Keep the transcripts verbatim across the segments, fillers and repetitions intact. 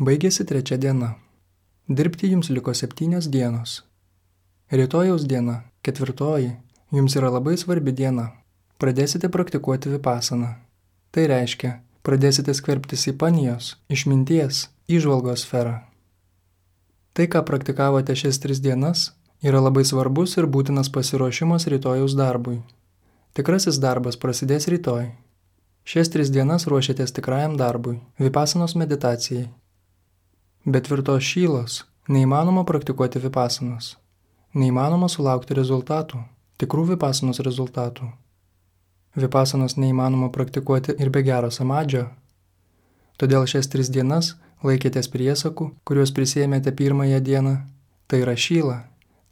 Baigėsi trečia diena. Dirbti jums liko septynios dienos. Rytojaus diena, ketvirtoji, jums yra labai svarbi diena. Pradėsite praktikuoti vipasaną. Tai reiškia, pradėsite skverbtis į panijos, išminties, įžvalgos sferą. Tai, ką praktikavote šias tris dienas, yra labai svarbus ir būtinas pasiruošimas rytojaus darbui. Tikrasis darbas prasidės rytoj. Šias tris dienas ruošiatės tikrajam darbui, vipasanos meditacijai. Be tvirtos šylos neįmanoma praktikuoti vipasanos. Neįmanoma sulaukti rezultatų, tikrų vipasanos rezultatų. Vipasanos neįmanoma praktikuoti ir be gero samadžio. Todėl šias tris dienas laikėtės priesakų, kuriuos prisėmėte pirmąją dieną. Tai yra šyla,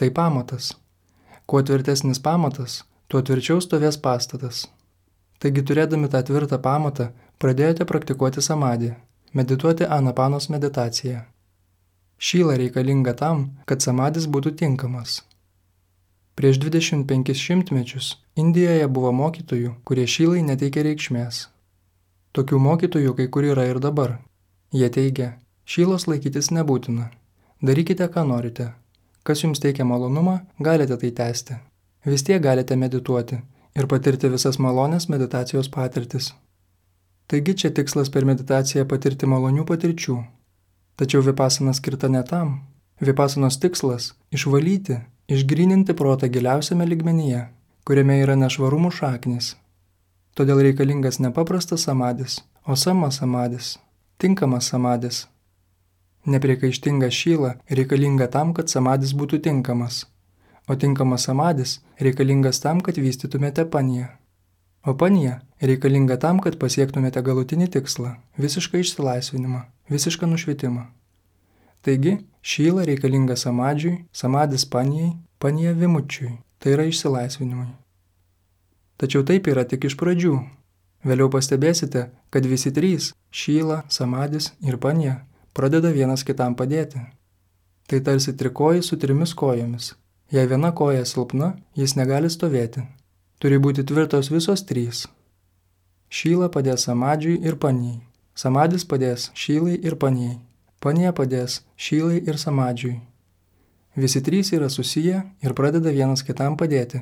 tai pamatas. Kuo tvirtesnis pamatas, tuo tvirčiau stovės pastatas. Taigi turėdami tą tvirtą pamatą, pradėjote praktikuoti samadį, medituoti anapanos meditaciją. Šyla reikalinga tam, kad samadis būtų tinkamas. Prieš dvidešimt penkis šimtmečius Indijoje buvo mokytojų, kurie šylai neteikė reikšmės. Tokių mokytojų kai kur yra ir dabar. Jie teigia, šylos laikytis nebūtina. Darykite, ką norite. Kas jums teikia malonumą, galite tai tęsti. Vis tiek galite medituoti ir patirti visas malonės meditacijos patirtis. Taigi čia tikslas per meditaciją patirti malonių patirčių. Tačiau vipasana skirta ne tam. Vipasanos tikslas – išvalyti, išgryninti protą giliausiame lygmenyje, kuriame yra nešvarumų šaknis. Todėl reikalingas ne paprastas samadis, o sama samadis, tinkamas samadis. Nepriekaištinga šyla reikalinga tam, kad samadis būtų tinkamas, o tinkamas samadis reikalingas tam, kad vystytumėte paniją. O panija reikalinga tam, kad pasiektumėte galutinį tikslą – visišką išsilaisvinimą, visišką nušvitimą. Taigi, šyla reikalinga samadžiui, samadis panijai, panija vimučiui, tai yra išsilaisvinimui. Tačiau taip yra tik iš pradžių. Vėliau pastebėsite, kad visi trys – šyla, samadis ir panija – pradeda vienas kitam padėti. Tai tarsi trikojai su trimis kojomis. Jei viena koja silpna, jis negali stovėti. Turi būti tvirtos visos trys. Šyla padės samadžiui ir panijai. Samadis padės šylai ir panijai. Panija padės šylai ir samadžiui. Visi trys yra susiję ir pradeda vienas kitam padėti.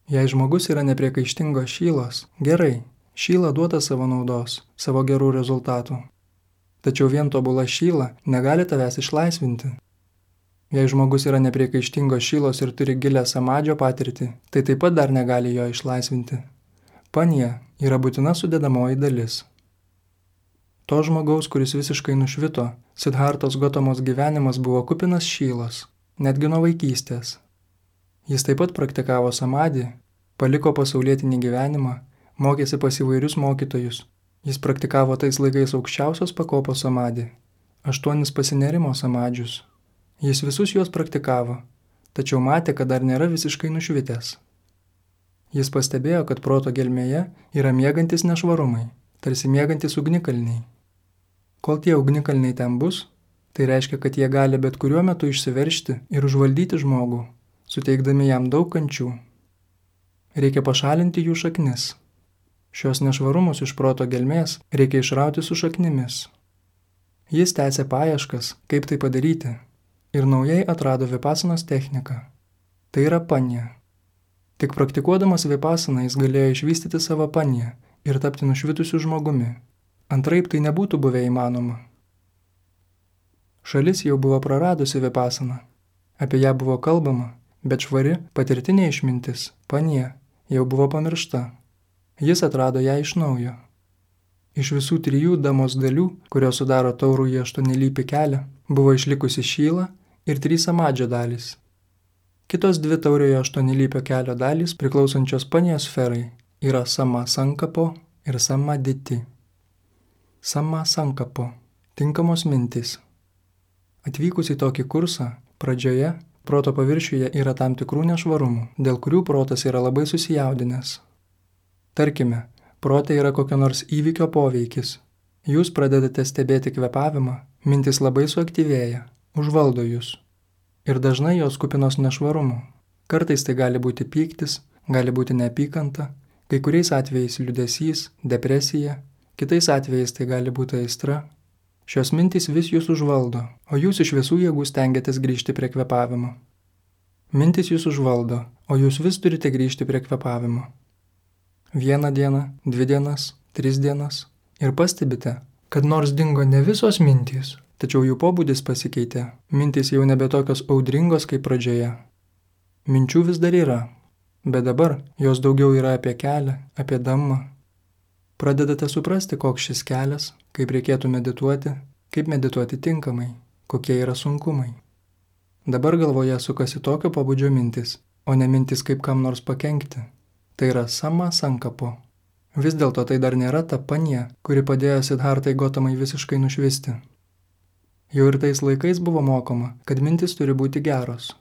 Jei žmogus yra nepriekaištingos šylos, gerai, šyla duoda savo naudos, savo gerų rezultatų. Tačiau vien tobula šyla negali tavęs išlaisvinti. Jei žmogus yra nepriekaištingos šylos ir turi gilę samadžio patirtį, tai taip pat dar negali jo išlaisvinti. Panija yra būtina sudedamoji dalis. To žmogaus, kuris visiškai nušvito, Sidhartos Gotamos gyvenimas buvo kupinas šylos, netgi nuo vaikystės. Jis taip pat praktikavo samadį, paliko pasaulietinį gyvenimą, mokėsi pas įvairius mokytojus. Jis praktikavo tais laikais aukščiausios pakopos samadį, aštuonis pasinerimo samadžius. Jis visus juos praktikavo, tačiau matė, kad dar nėra visiškai nušvitęs. Jis pastebėjo, kad proto gelmėje yra miegantis nešvarumai, tarsi miegantis ugnikalniai. Kol tie ugnikalniai ten bus, tai reiškia, kad jie gali bet kuriuo metu išsiveržti ir užvaldyti žmogų, suteikdami jam daug kančių. Reikia pašalinti jų šaknis. Šios nešvarumus iš proto gelmės reikia išrauti su šaknimis. Jis tęsė paieškas, kaip tai padaryti, ir naujai atrado vipasanos techniką. Tai yra panija. Tik praktikuodamas vipasaną jis galėjo išvystyti savo paniją ir tapti nušvitusiu žmogumi. Antraip tai nebūtų buvę įmanoma. Šalis jau buvo praradusi vipasaną. Apie ją buvo kalbama, bet švari patirtinė išmintis, panija, jau buvo pamiršta. Jis atrado ją iš naujo. Iš visų trijų damos dalių, kurios sudaro taurųjį aštuonialypį kelią, buvo išlikusi šyla ir trys samadžio dalys. Kitos dvi tauriojo aštuonialypio kelio dalys, priklausančios panijos sferai, yra sama sankapo ir samaditi. Sama sankapo – tinkamos mintys. Atvykus į tokį kursą, pradžioje proto paviršiuje yra tam tikrų nešvarumų, dėl kurių protas yra labai susijaudinęs. Tarkime, prote yra kokio nors įvykio poveikis. Jūs pradedate stebėti kvėpavimą, mintis labai suaktyvėja, užvaldo jūs. Ir dažnai jos kupinos nešvarumų. Kartais tai gali būti pyktis, gali būti neapykanta, kai kuriais atvejais liūdesys, depresija, kitais atvejais tai gali būti aistra. Šios mintys vis jūs užvaldo, o jūs iš visų jėgų stengiatės grįžti prie kvėpavimo. Mintys jūs užvaldo, o jūs vis turite grįžti prie kvėpavimo. Vieną dieną, dvi dienas, tris dienas ir pastebite, kad nors dingo ne visos mintys, tačiau jų pobūdis pasikeitė, mintys jau nebe tokios audringos kaip pradžioje. Minčių vis dar yra, bet dabar jos daugiau yra apie kelią, apie Dhammą. Pradedate suprasti, koks šis kelias, kaip reikėtų medituoti, kaip medituoti tinkamai, kokie yra sunkumai. Dabar galvoje sukasi tokio pobūdžio mintis, o ne mintis kaip kam nors pakenkti. Tai yra sama sankapo. Vis dėlto tai dar nėra ta panija, kuri padėjo Sidhartai Gotamai visiškai nušvisti. Jau ir tais laikais buvo mokoma, kad mintis turi būti geros.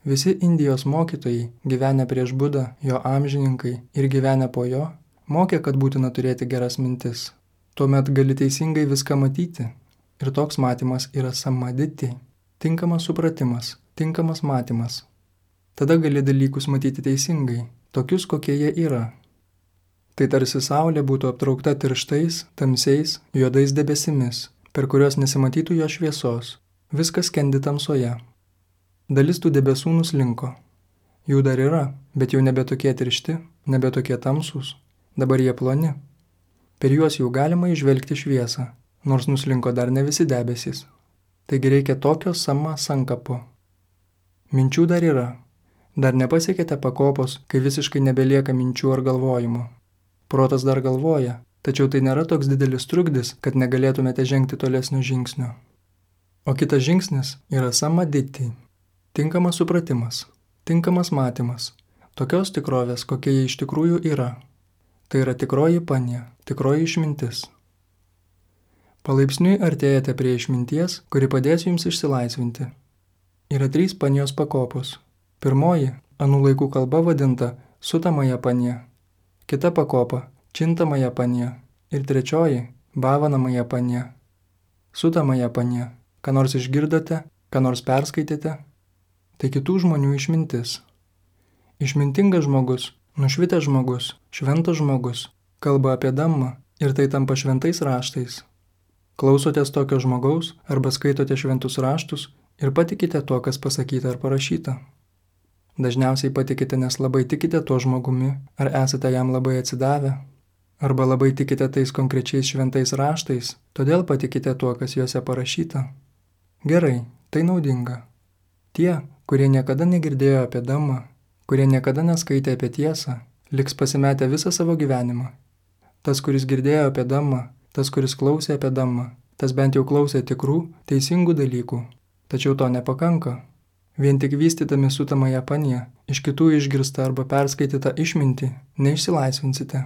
Visi Indijos mokytojai, gyvenę prieš Budą, jo amžininkai ir gyvenę po jo, mokė, kad būtina turėti geras mintis. Tuomet gali teisingai viską matyti. Ir toks matymas yra samaditi, tinkamas supratimas, tinkamas matymas. Tada gali dalykus matyti teisingai, tokius, kokie jie yra. Tai tarsi saulė būtų aptraukta tirštais, tamsiais, juodais debesimis, per kuriuos nesimatytų jo šviesos. Viskas skendi tamsoje. Dalis tų debesų nuslinko. Jų dar yra, bet jau nebe tokie tiršti, nebe tokie tamsūs. Dabar jie ploni. Per juos jau galima įžvelgti šviesą, nors nuslinko dar ne visi debesys. Taigi reikia tokio sama sankapo. Minčių dar yra. Dar nepasiekėte pakopos, kai visiškai nebelieka minčių ar galvojimo. Protas dar galvoja, tačiau tai nėra toks didelis trukdis, kad negalėtumėte žengti tolesnio žingsnio. O kitas žingsnis yra samaditi. Tinkamas supratimas, tinkamas matymas, tokios tikrovės, kokie jie iš tikrųjų yra. Tai yra tikroji panija, tikroji išmintis. Palaipsniui artėjate prie išminties, kuri padės jums išsilaisvinti. Yra trys panijos pakopos. Pirmoji, anų laikų kalba vadinta sutamąją paniją. Kita pakopa, čintamąją paniją. Ir trečioji, bhavanamąją paniją. Sutamąją paniją. Ką nors išgirdote, ką nors perskaitėte. Tai kitų žmonių išmintis. Išmintingas žmogus, nušvitęs žmogus, šventas žmogus, kalba apie Dhammą ir tai tampa šventais raštais. Klausotės tokio žmogaus arba skaitote šventus raštus ir patikite tuo, kas pasakyta ar parašyta. Dažniausiai patikite, nes labai tikite tuo žmogumi, ar esate jam labai atsidavę, arba labai tikite tais konkrečiais šventais raštais, todėl patikite tuo, kas juose parašyta. Gerai, tai naudinga. Tie, kurie niekada negirdėjo apie Dhammą, kurie niekada neskaitė apie tiesą, liks pasimetę visą savo gyvenimą. Tas, kuris girdėjo apie Dhammą, tas, kuris klausė apie Dhammą, tas bent jau klausė tikrų, teisingų dalykų. Tačiau to nepakanka. Vien tik vystydami sutamąją paniją, iš kitų išgirstą arba perskaitytą išmintį, neišsilaisvinsite.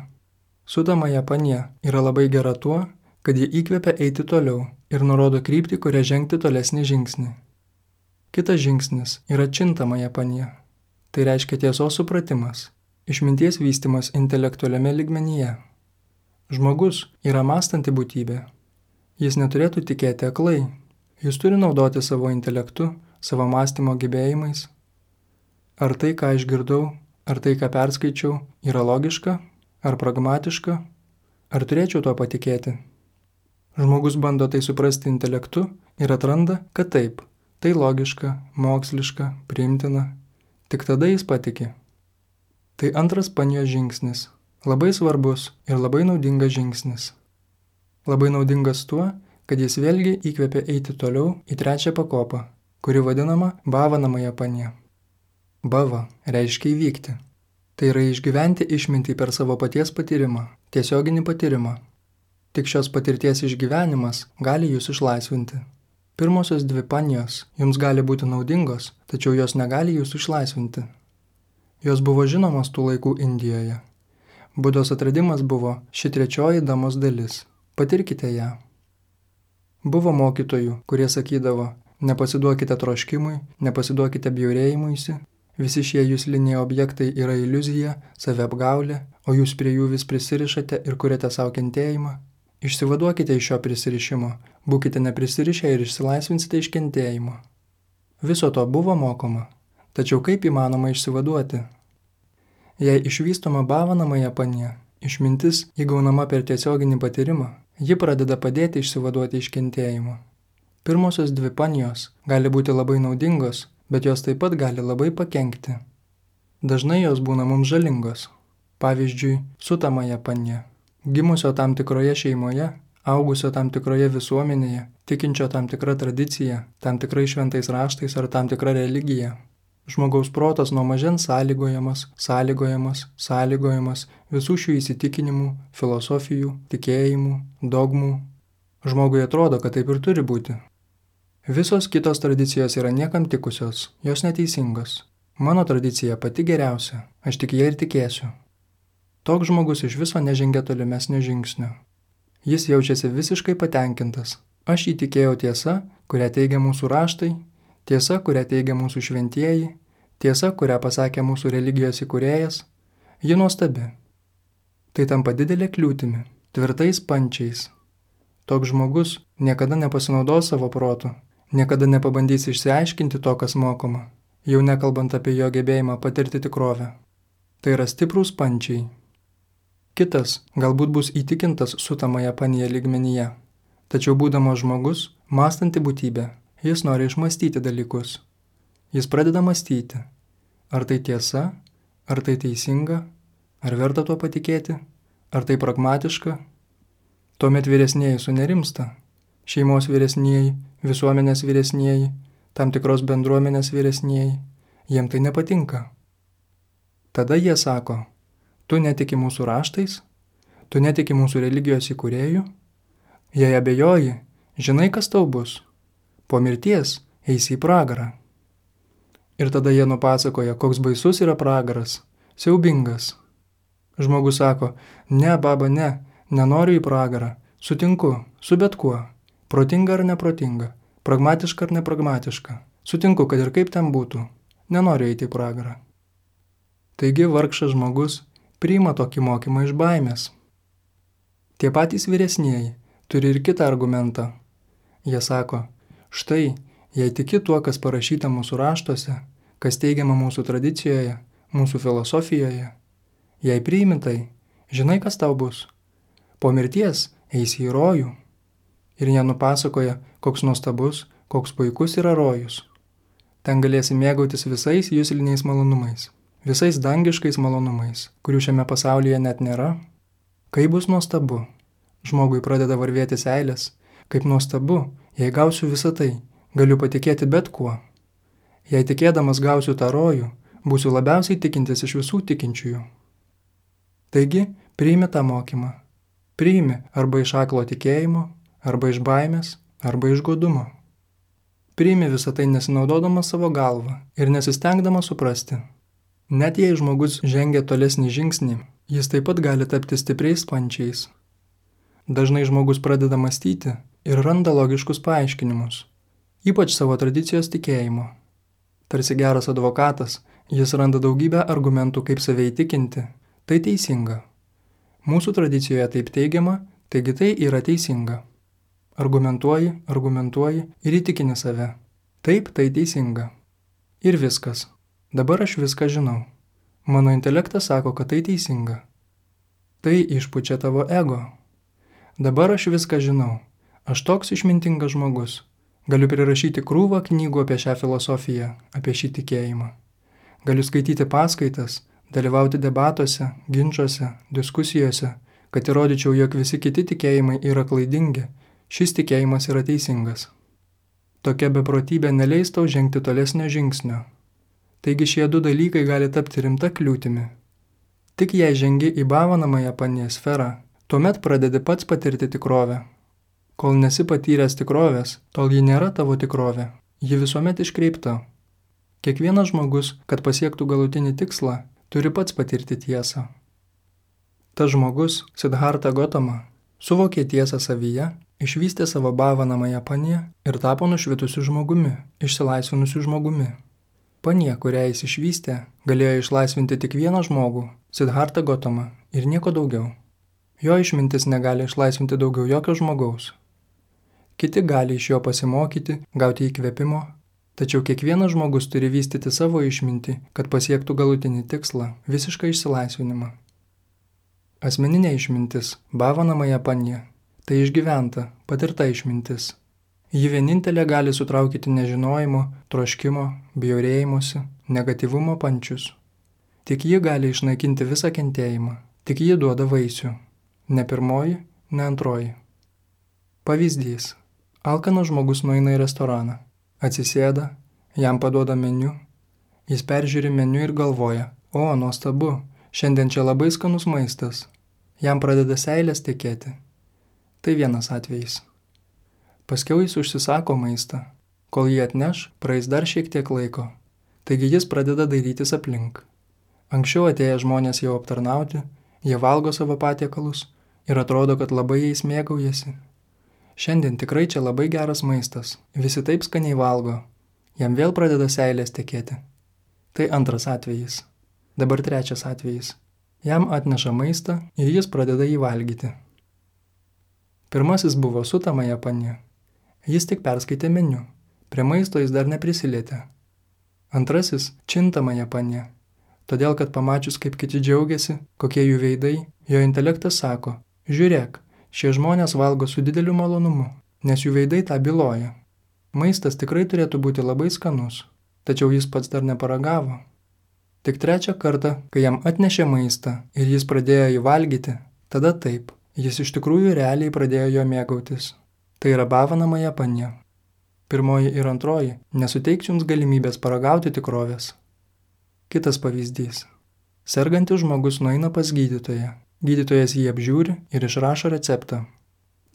Sutamąją panija yra labai gera tuo, kad ji įkvepia eiti toliau ir nurodo kryptį, kuria žengti tolesnį žingsnį. Kitas žingsnis yra čintamąją panija. Tai reiškia tiesos supratimas, išminties vystymas intelektualiame lygmenyje. Žmogus yra mąstanti būtybė. Jis neturėtų tikėti aklai. Jis turi naudoti savo intelektu, savo mąstymo gebėjimais. Ar tai, ką išgirdau, ar tai, ką perskaičiau, yra logiška, ar pragmatiška, ar turėčiau tuo patikėti? Žmogus bando tai suprasti intelektu ir atranda, kad taip, tai logiška, moksliška, priimtina. Tik tada jis patiki. Tai antras panijos žingsnis. Labai svarbus ir labai naudingas žingsnis. Labai naudingas tuo, kad jis vėlgi įkvepia eiti toliau į trečią pakopą, kuri vadinama bhavanamąją paniją. Bhava reiškia įvykti. Tai yra išgyventi išmintį per savo paties patyrimą, tiesioginį patyrimą. Tik šios patirties išgyvenimas gali jūs išlaisvinti. Pirmosios dvi panijos jums gali būti naudingos, tačiau jos negali jūsų išlaisvinti. Jos buvo žinomos tų laikų Indijoje. Budos atradimas buvo ši trečioji Dhammos dalis. Patirkite ją. Buvo mokytojų, kurie sakydavo, nepasiduokite troškimui, nepasiduokite bjaurėjimuisi, visi šie jusliniai objektai yra iliuzija, saviapgaulė, o jūs prie jų vis prisirišate ir kuriate savo kentėjimą. Išsivaduokite iš šio prisirišimo, būkite neprisirišę ir išsilaisvinsite iš kentėjimo. Viso to buvo mokoma, tačiau kaip įmanoma išsivaduoti? Jei išvystoma bhavanamąją paniją, išmintis įgaunama per tiesioginį patyrimą, Ji pradeda padėti išsivaduoti iš kentėjimo. Pirmosios dvi panijos gali būti labai naudingos, bet jos taip pat gali labai pakenkti. Dažnai jos būna mums žalingos. Pavyzdžiui, sutamąją paniją, gimusio tam tikroje šeimoje, augusio tam tikroje visuomenėje, tikinčio tam tikrą tradiciją, tam tikrais šventais raštais ar tam tikrą religiją. Žmogaus protas nuo mažens sąlygojamas, sąlygojamas, sąlygojamas visų šių įsitikinimų, filosofijų, tikėjimų, dogmų. Žmogui atrodo, kad taip ir turi būti. Visos kitos tradicijos yra niekam tikusios, jos neteisingos. Mano tradicija pati geriausia, aš tik ją ir tikėsiu. Toks žmogus iš viso nežengia tolimesnio žingsnio. Jis jaučiasi visiškai patenkintas. Aš įtikėjau tiesa, kurią teigia mūsų raštai, tiesa, kurią teigia mūsų šventieji, tiesa, kurią pasakė mūsų religijos įkūrėjas, ji nuostabi. Tai tampa didelė kliūtimi, tvirtais pančiais. Toks žmogus niekada nepasinaudos savo protu, niekada nepabandys išsiaiškinti to, kas mokoma, jau nekalbant apie jo gebėjimą patirti tikrovę. Tai yra stiprūs pančiai. Kitas galbūt bus įtikintas sutamąją paniją lygmenyje, tačiau būdamas žmogus, mąstanti būtybė, jis nori išmąstyti dalykus. Jis pradeda mąstyti, ar tai tiesa, ar tai teisinga, ar verta tuo patikėti, ar tai pragmatiška. Tuomet vyresnieji sunerimsta, šeimos vyresnieji, visuomenės vyresnieji, tam tikros bendruomenės vyresnieji, jiem tai nepatinka. Tada jie sako, tu netiki mūsų raštais, tu netiki mūsų religijos įkūrėjų, jei abejoji, žinai, kas tau bus, po mirties eisi į pragarą. Ir tada jie nupasakoja, koks baisus yra pragaras, siaubingas. Žmogus sako, ne, baba, ne, nenoriu į pragarą, sutinku, su bet kuo, protinga ar neprotinga, pragmatiška ar nepragmatiška, sutinku, kad ir kaip ten būtų, nenoriu eiti į pragarą. Taigi vargšas žmogus priima tokį mokymą iš baimės. Tie patys vyresnieji turi ir kitą argumentą. Jie sako, štai, jei tiki tuo, kas parašyta mūsų raštuose, kas teigiama mūsų tradicijoje, mūsų filosofijoje, jei priimi tai, žinai, kas tau bus. Po mirties eisi į rojų. Ir jie nupasakoja, koks nuostabus, koks puikus yra rojus. Ten galėsi mėgautis visais jusliniais malonumais, visais dangiškais malonumais, kurių šiame pasaulyje net nėra. Kaip bus nuostabu, žmogui pradeda varvėti seilės, kaip nuostabu, jei gausiu visą tai, galiu patikėti bet kuo. Jei tikėdamas gausiu tą rojų, būsiu labiausiai tikintis iš visų tikinčiųjų. Taigi, priimi tą mokymą. Priimi arba iš aklo tikėjimo, arba iš baimės, arba iš godumo. Priimi visą tai nesinaudodamas savo galvą ir nesistengdamas suprasti. Net jei žmogus žengia tolesnį žingsnį, jis taip pat gali tapti stipriais pančiais. Dažnai žmogus pradeda mąstyti ir randa logiškus paaiškinimus, ypač savo tradicijos tikėjimo. Tarsi geras advokatas, jis randa daugybę argumentų, kaip save įtikinti. Tai teisinga. Mūsų tradicijoje taip teigiama, taigi tai yra teisinga. Argumentuoji, argumentuoji ir įtikini save. Taip, tai teisinga. Ir viskas. Dabar aš viską žinau. Mano intelektas sako, kad tai teisinga. Tai išpučia tavo ego. Dabar aš viską žinau. Aš toks išmintingas žmogus. Galiu prirašyti krūvą knygų apie šią filosofiją, apie šį tikėjimą. Galiu skaityti paskaitas, dalyvauti debatuose, ginčuose, diskusijose, kad įrodyčiau, jog visi kiti tikėjimai yra klaidingi, šis tikėjimas yra teisingas. Tokia beprotybė neleis tau žengti tolesnio žingsnio. Taigi šie du dalykai gali tapti rimta kliūtimi. Tik jei žengi į bhavanamąją paniją sferą, tuomet pradedi pats patirti tikrovę. Kol nesi patyręs tikrovės, tol ji nėra tavo tikrovė, ji visuomet iškreipta. Kiekvienas žmogus, kad pasiektų galutinį tikslą, turi pats patirti tiesą. Tas žmogus, Siddhartha Gautama, suvokė tiesą savyje, išvystė savo bhavanamąją paniją ir tapo nušvitusiu žmogumi, išsilaisvinusiu žmogumi. Panija, kurią jis išvystė, galėjo išlaisvinti tik vieną žmogų, Siddhartha Gautama, ir nieko daugiau. Jo išmintis negali išlaisvinti daugiau jokio žmogaus. Kiti gali iš jo pasimokyti, gauti įkvėpimo, tačiau kiekvienas žmogus turi vystyti savo išmintį, kad pasiektų galutinį tikslą, visišką išsilaisvinimą. Asmeninė išmintis, bhavanamąją paniją, Tai išgyventa, patirta išmintis. Ji vienintelė gali sutraukyti nežinojimo, troškimo, bjaurėjimuose, negatyvumo pančius. Tik ji gali išnaikinti visą kentėjimą, tik ji duoda vaisių. Ne pirmoji, ne antroji. Pavyzdys. Alkanas žmogus nueina į restoraną, atsisėda, jam paduoda meniu, jis peržiūri meniu ir galvoja, o, nuostabu, šiandien čia labai skanus maistas. Jam pradeda seilės tekėti. Tai vienas atvejis. Paskiau jis užsisako maistą. Kol jį atneš, praeis dar šiek tiek laiko. Taigi jis pradeda dairytis aplink. Anksčiau atėję žmonės jau aptarnauti, jie valgo savo patiekalus ir atrodo, kad labai jais mėgaujasi. Šiandien tikrai čia labai geras maistas, visi taip skaniai valgo. Jam vėl pradeda seilės tekėti. Tai antras atvejis. Dabar trečias atvejis. Jam atneša maistą ir jis pradeda jį valgyti. Pirmasis buvo sutamąją panė. Jis tik perskaitė meniu. Prie maisto jis dar neprisilietė. Antrasis – čintamąją panė. Todėl, kad pamačius, kaip kiti džiaugiasi, kokie jų veidai, jo intelektas sako, žiūrėk, šie žmonės valgo su dideliu malonumu, nes jų veidai tą byloja. Maistas tikrai turėtų būti labai skanus, tačiau jis pats dar neparagavo. Tik trečią kartą, kai jam atnešė maistą ir jis pradėjo jį valgyti, tada taip, jis iš tikrųjų realiai pradėjo jo mėgautis. Tai yra bavanamąją panė. Pirmoji ir antroji nesuteiks jums galimybės paragauti tikrovės. Kitas pavyzdys. Sergantis žmogus nueina pas gydytoją. Gydytojas jį apžiūri ir išrašo receptą.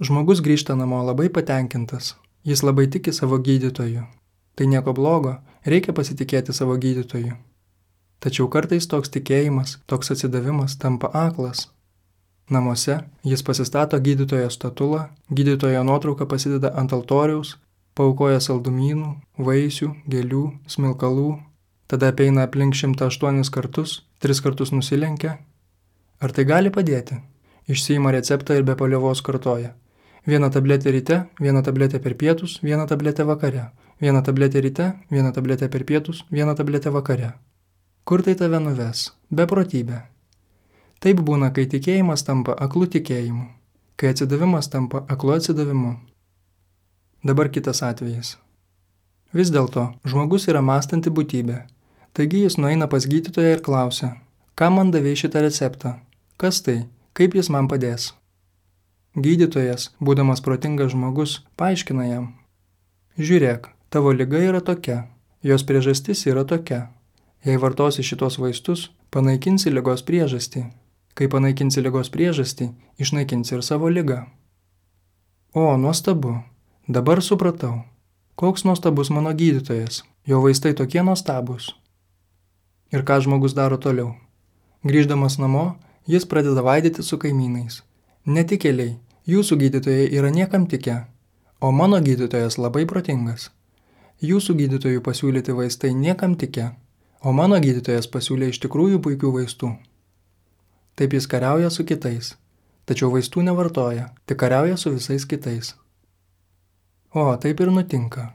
Žmogus grįžta namo labai patenkintas. Jis labai tiki savo gydytoju. Tai nieko blogo, reikia pasitikėti savo gydytoju. Tačiau kartais toks tikėjimas, toks atsidavimas tampa aklas. Namuose jis pasistato gydytojo statulą, gydytojo nuotrauką pasideda ant altoriaus, paaukoja saldumynų, vaisių, gėlių, smilkalų, tada apeina aplink šimtą aštuonis kartus, tris kartus nusilenkia. Ar tai gali padėti? Išsiima receptą ir be paliovos kartoja. Vieną tabletę ryte, vieną tabletę per pietus, vieną tabletę vakare. Vieną tabletę ryte, vieną tabletę per pietus, vieną tabletę vakare. Kur tai tave nuves? Beprotybė. Taip būna, kai tikėjimas tampa aklu tikėjimu, kai atsidavimas tampa aklu atsidavimu. Dabar kitas atvejis. Vis dėlto, žmogus yra mąstanti būtybė, taigi jis nueina pas gydytoją ir klausia, kam man davei šitą receptą, kas tai, kaip jis man padės. Gydytojas, būdamas protingas žmogus, paaiškina jam. Žiūrėk, tavo liga yra tokia, jos priežastis yra tokia. Jei vartosi šitos vaistus, panaikinsi ligos priežastį. Kai panaikinsi ligos priežastį, išnaikinsi ir savo ligą. O, nuostabu. Dabar supratau. Koks nuostabus mano gydytojas. Jo vaistai tokie nuostabus. Ir ką žmogus daro toliau? Grįždamas namo, jis pradeda vaidyti su kaimynais. Netikėliai, jūsų gydytojai yra niekam tikę, o mano gydytojas labai protingas. Jūsų gydytojų pasiūlyti vaistai niekam tikę, o mano gydytojas pasiūlė iš tikrųjų puikių vaistų. Taip jis kariauja su kitais, tačiau vaistų nevartoja, tik kariauja su visais kitais. O, taip ir nutinka.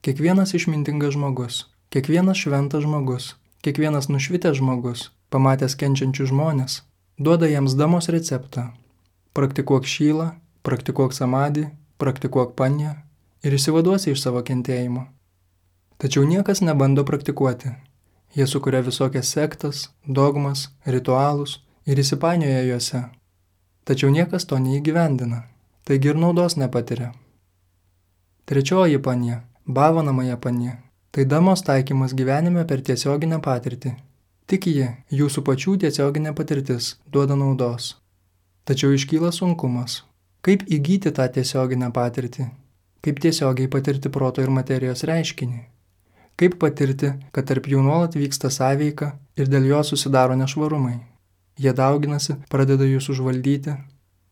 Kiekvienas išmintingas žmogus, kiekvienas šventas žmogus, kiekvienas nušvitęs žmogus, pamatęs kenčiančių žmonės, duoda jiems damos receptą. Praktikuok šylą, praktikuok samadį, praktikuok panją ir išsivaduosi iš savo kentėjimo. Tačiau niekas nebando praktikuoti. Jie sukuria visokias sektas, dogmas, ritualus ir įsipainioja juose. Tačiau niekas to neįgyvendina, taigi ir naudos nepatiria. Trečioji panė, bavanamąją panė, tai damos taikymas gyvenime per tiesioginę patirtį. Tik ji, jūsų pačių tiesioginė patirtis, duoda naudos. Tačiau iškyla sunkumas. Kaip įgyti tą tiesioginę patirtį? Kaip tiesiogiai patirti proto ir materijos reiškinį? Kaip patirti, kad tarp jų nuolat vyksta sąveika ir dėl jo susidaro nešvarumai? Jie dauginasi, pradeda jūs užvaldyti.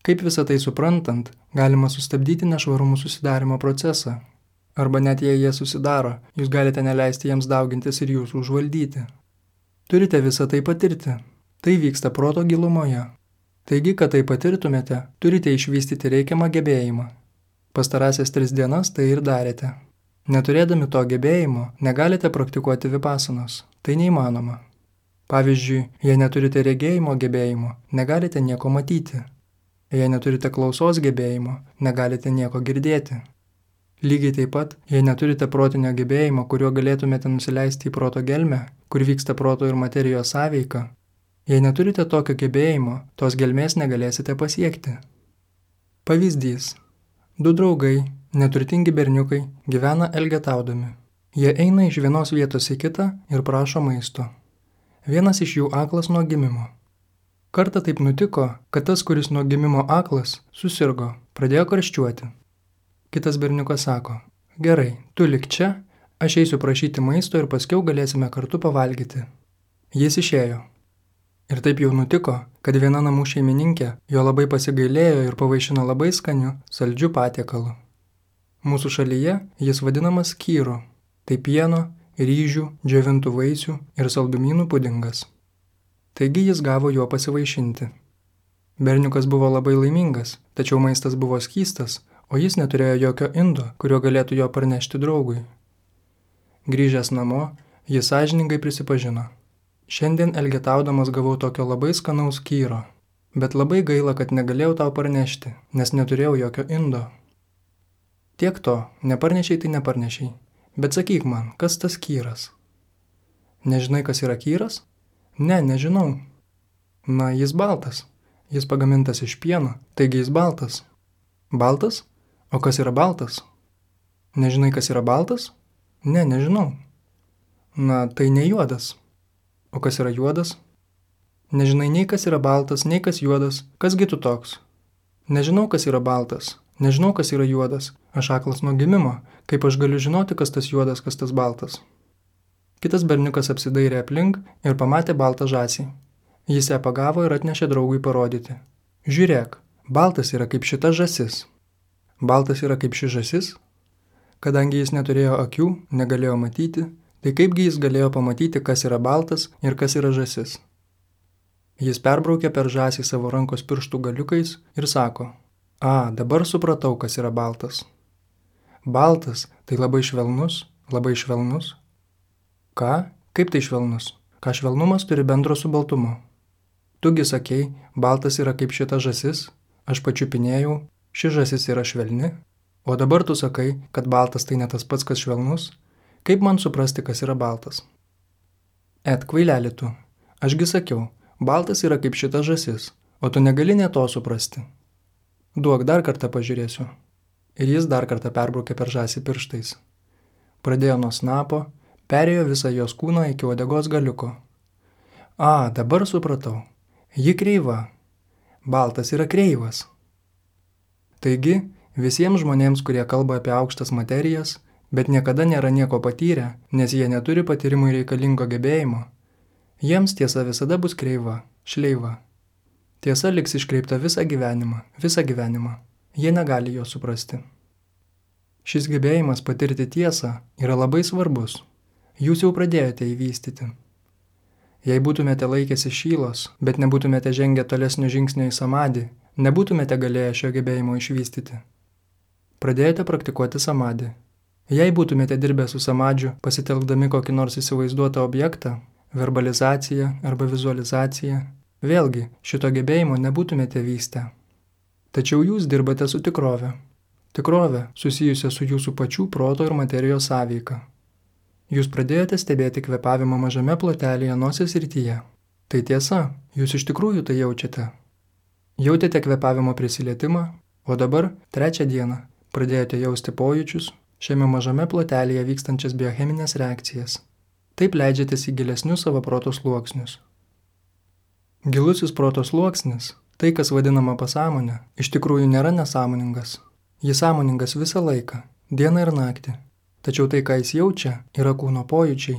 Kaip visą tai suprantant, galima sustabdyti nešvarumų susidarimo procesą. Arba net jei jie susidaro, jūs galite neleisti jiems daugintis ir jūsų užvaldyti. Turite visą tai patirti. Tai vyksta proto gilumoje. Taigi, kad tai patirtumėte, turite išvystyti reikiamą gebėjimą. Pastarąsias tris dienas tai ir darėte. Neturėdami to gebėjimo, negalite praktikuoti vipasanos. Tai neįmanoma. Pavyzdžiui, jei neturite regėjimo gebėjimo, negalite nieko matyti. Jei neturite klausos gebėjimo, negalite nieko girdėti. Lygiai taip pat, jei neturite protinio gebėjimo, kuriuo galėtumėte nusileisti į proto gelmę, kur vyksta proto ir materijos sąveika, jei neturite tokio gebėjimo, tos gelmės negalėsite pasiekti. Pavyzdys. Du draugai, neturtingi berniukai, gyvena elgetaudami. Jie eina iš vienos vietos į kitą ir prašo maisto. Vienas iš jų aklas nuo gimimo. Kartą taip nutiko, kad tas, kuris nuo gimimo aklas, susirgo, pradėjo karščiuoti. Kitas berniukas sako, gerai, tu lik čia, aš eisiu prašyti maisto ir paskiau galėsime kartu pavalgyti. Jis išėjo. Ir taip jau nutiko, kad viena namų šeimininkė jo labai pasigailėjo ir pavaišino labai skaniu, saldžiu patiekalu. Mūsų šalyje jis vadinamas kyru, tai pieno, ryžių, džiovintų vaisių ir saldumynų pudingas. Taigi jis gavo juo pasivaišinti. Berniukas buvo labai laimingas, tačiau maistas buvo skystas, o jis neturėjo jokio indo, kuriuo galėtų jo parnešti draugui. Grįžęs namo, jis sąžiningai prisipažino. Šiandien elgetaudamas gavau tokio labai skanaus kyro, bet labai gaila, kad negalėjau tau parnešti, nes neturėjau jokio indo. Tiek to, neparnešiai tai neparnešiai, bet sakyk man, kas tas kyras? Nežinai, kas yra kyras? Ne, nežinau. Na, jis baltas. Jis pagamintas iš pieno, taigi jis baltas. Baltas? O kas yra baltas? Nežinai, kas yra baltas? Ne, nežinau. Na, tai ne juodas. O kas yra juodas? Nežinai nei kas yra baltas, nei kas juodas, kasgi tu toks? Nežinau, kas yra baltas, nežinau, kas yra juodas, aš aklas nuo gimimo, kaip aš galiu žinoti, kas tas juodas, kas tas baltas. Kitas berniukas apsidairė aplink ir pamatė baltą žąsį. Jis ją pagavo ir atnešė draugui parodyti. Žiūrėk, baltas yra kaip šita žąsis. Baltas yra kaip ši žąsis? Kadangi jis neturėjo akių, negalėjo matyti, tai kaipgi jis galėjo pamatyti, kas yra baltas ir kas yra žąsis. Jis perbraukė per žąsį savo rankos pirštų galiukais ir sako, a, dabar supratau, kas yra baltas. Baltas tai labai švelnus, labai švelnus. Ką? Kaip tai švelnus? Ką švelnumas turi bendro su baltumu? Tugi sakei, baltas yra kaip šita žąsis, aš pačiupinėjau, ši žąsis yra švelni, o dabar tu sakai, kad baltas tai ne tas pats, kas švelnus. Kaip man suprasti, kas yra baltas? Et, kvaileli tu, ašgi sakiau, baltas yra kaip šita žąsis, o tu negali ne to suprasti. Duok, dar kartą pažiūrėsiu. Ir jis dar kartą perbraukė per žąsį pirštais. Pradėjo nuo snapo, perėjo visą jos kūną iki uodegos galiuko. A, dabar supratau. Ji kreiva. Baltas yra kreivas. Taigi, visiems žmonėms, kurie kalba apie aukštas materijas, bet niekada nėra nieko patyrę, nes jie neturi patyrimui reikalingo gebėjimo, jiems tiesa visada bus kreiva, šleiva. Tiesa liks iškreipta visą gyvenimą, visą gyvenimą. Jie negali jo suprasti. Šis gebėjimas patirti tiesą yra labai svarbus. Jūs jau pradėjote įvystyti. Jei būtumėte laikėsi šylos, bet nebūtumėte žengę tolesnio žingsnio į samadį, nebūtumėte galėję šio gebėjimo išvystyti. Pradėjote praktikuoti samadį. Jei būtumėte dirbę su samadžiu, pasitelkdami kokį nors įsivaizduotą objektą, verbalizaciją arba vizualizaciją, vėlgi šito gebėjimo nebūtumėte vystę. Tačiau jūs dirbate su tikrove. Tikrove susijusia su jūsų pačių proto ir materijos sąveika. Jūs pradėjote stebėti kvėpavimą mažame plotelėje nosies srityje. Tai tiesa, jūs iš tikrųjų tai jaučiate. Jautėte kvėpavimo prisilietimą, o dabar, trečią dieną, pradėjote jausti pojūčius, šiame mažame plotelėje vykstančias biocheminės reakcijas. Taip leidžiatės į gilesnius savo proto sluoksnius. Gilusis proto sluoksnis, tai kas vadinama pasąmonė, iš tikrųjų nėra nesąmoningas. Jis sąmoningas visą laiką, dieną ir naktį. Tačiau tai, ką jis jaučia, yra kūno pojūčiai.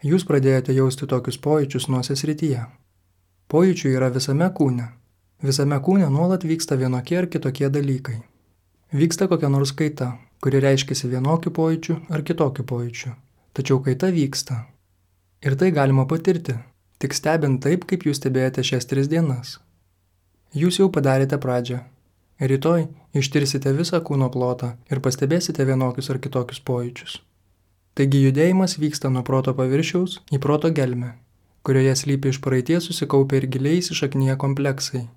Jūs pradėjote jausti tokius pojūčius nosies srityje. Pojūčių yra visame kūne. Visame kūne nuolat vyksta vienokie ar kitokie dalykai. Vyksta kokia nors kaita, kuri reiškiasi vienokiu pojūčiu ar kitokiu pojūčiu. Tačiau kaita vyksta. Ir tai galima patirti, tik stebint taip, kaip jūs stebėjote šias tris dienas. Jūs jau padarėte pradžią. Rytoj ištirsite visą kūno plotą ir pastebėsite vienokius ar kitokius pojūčius. Taigi judėjimas vyksta nuo proto paviršiaus į proto gelmę, kurioje slypi iš praeities susikaupę ir giliai įsišaknyję kompleksai.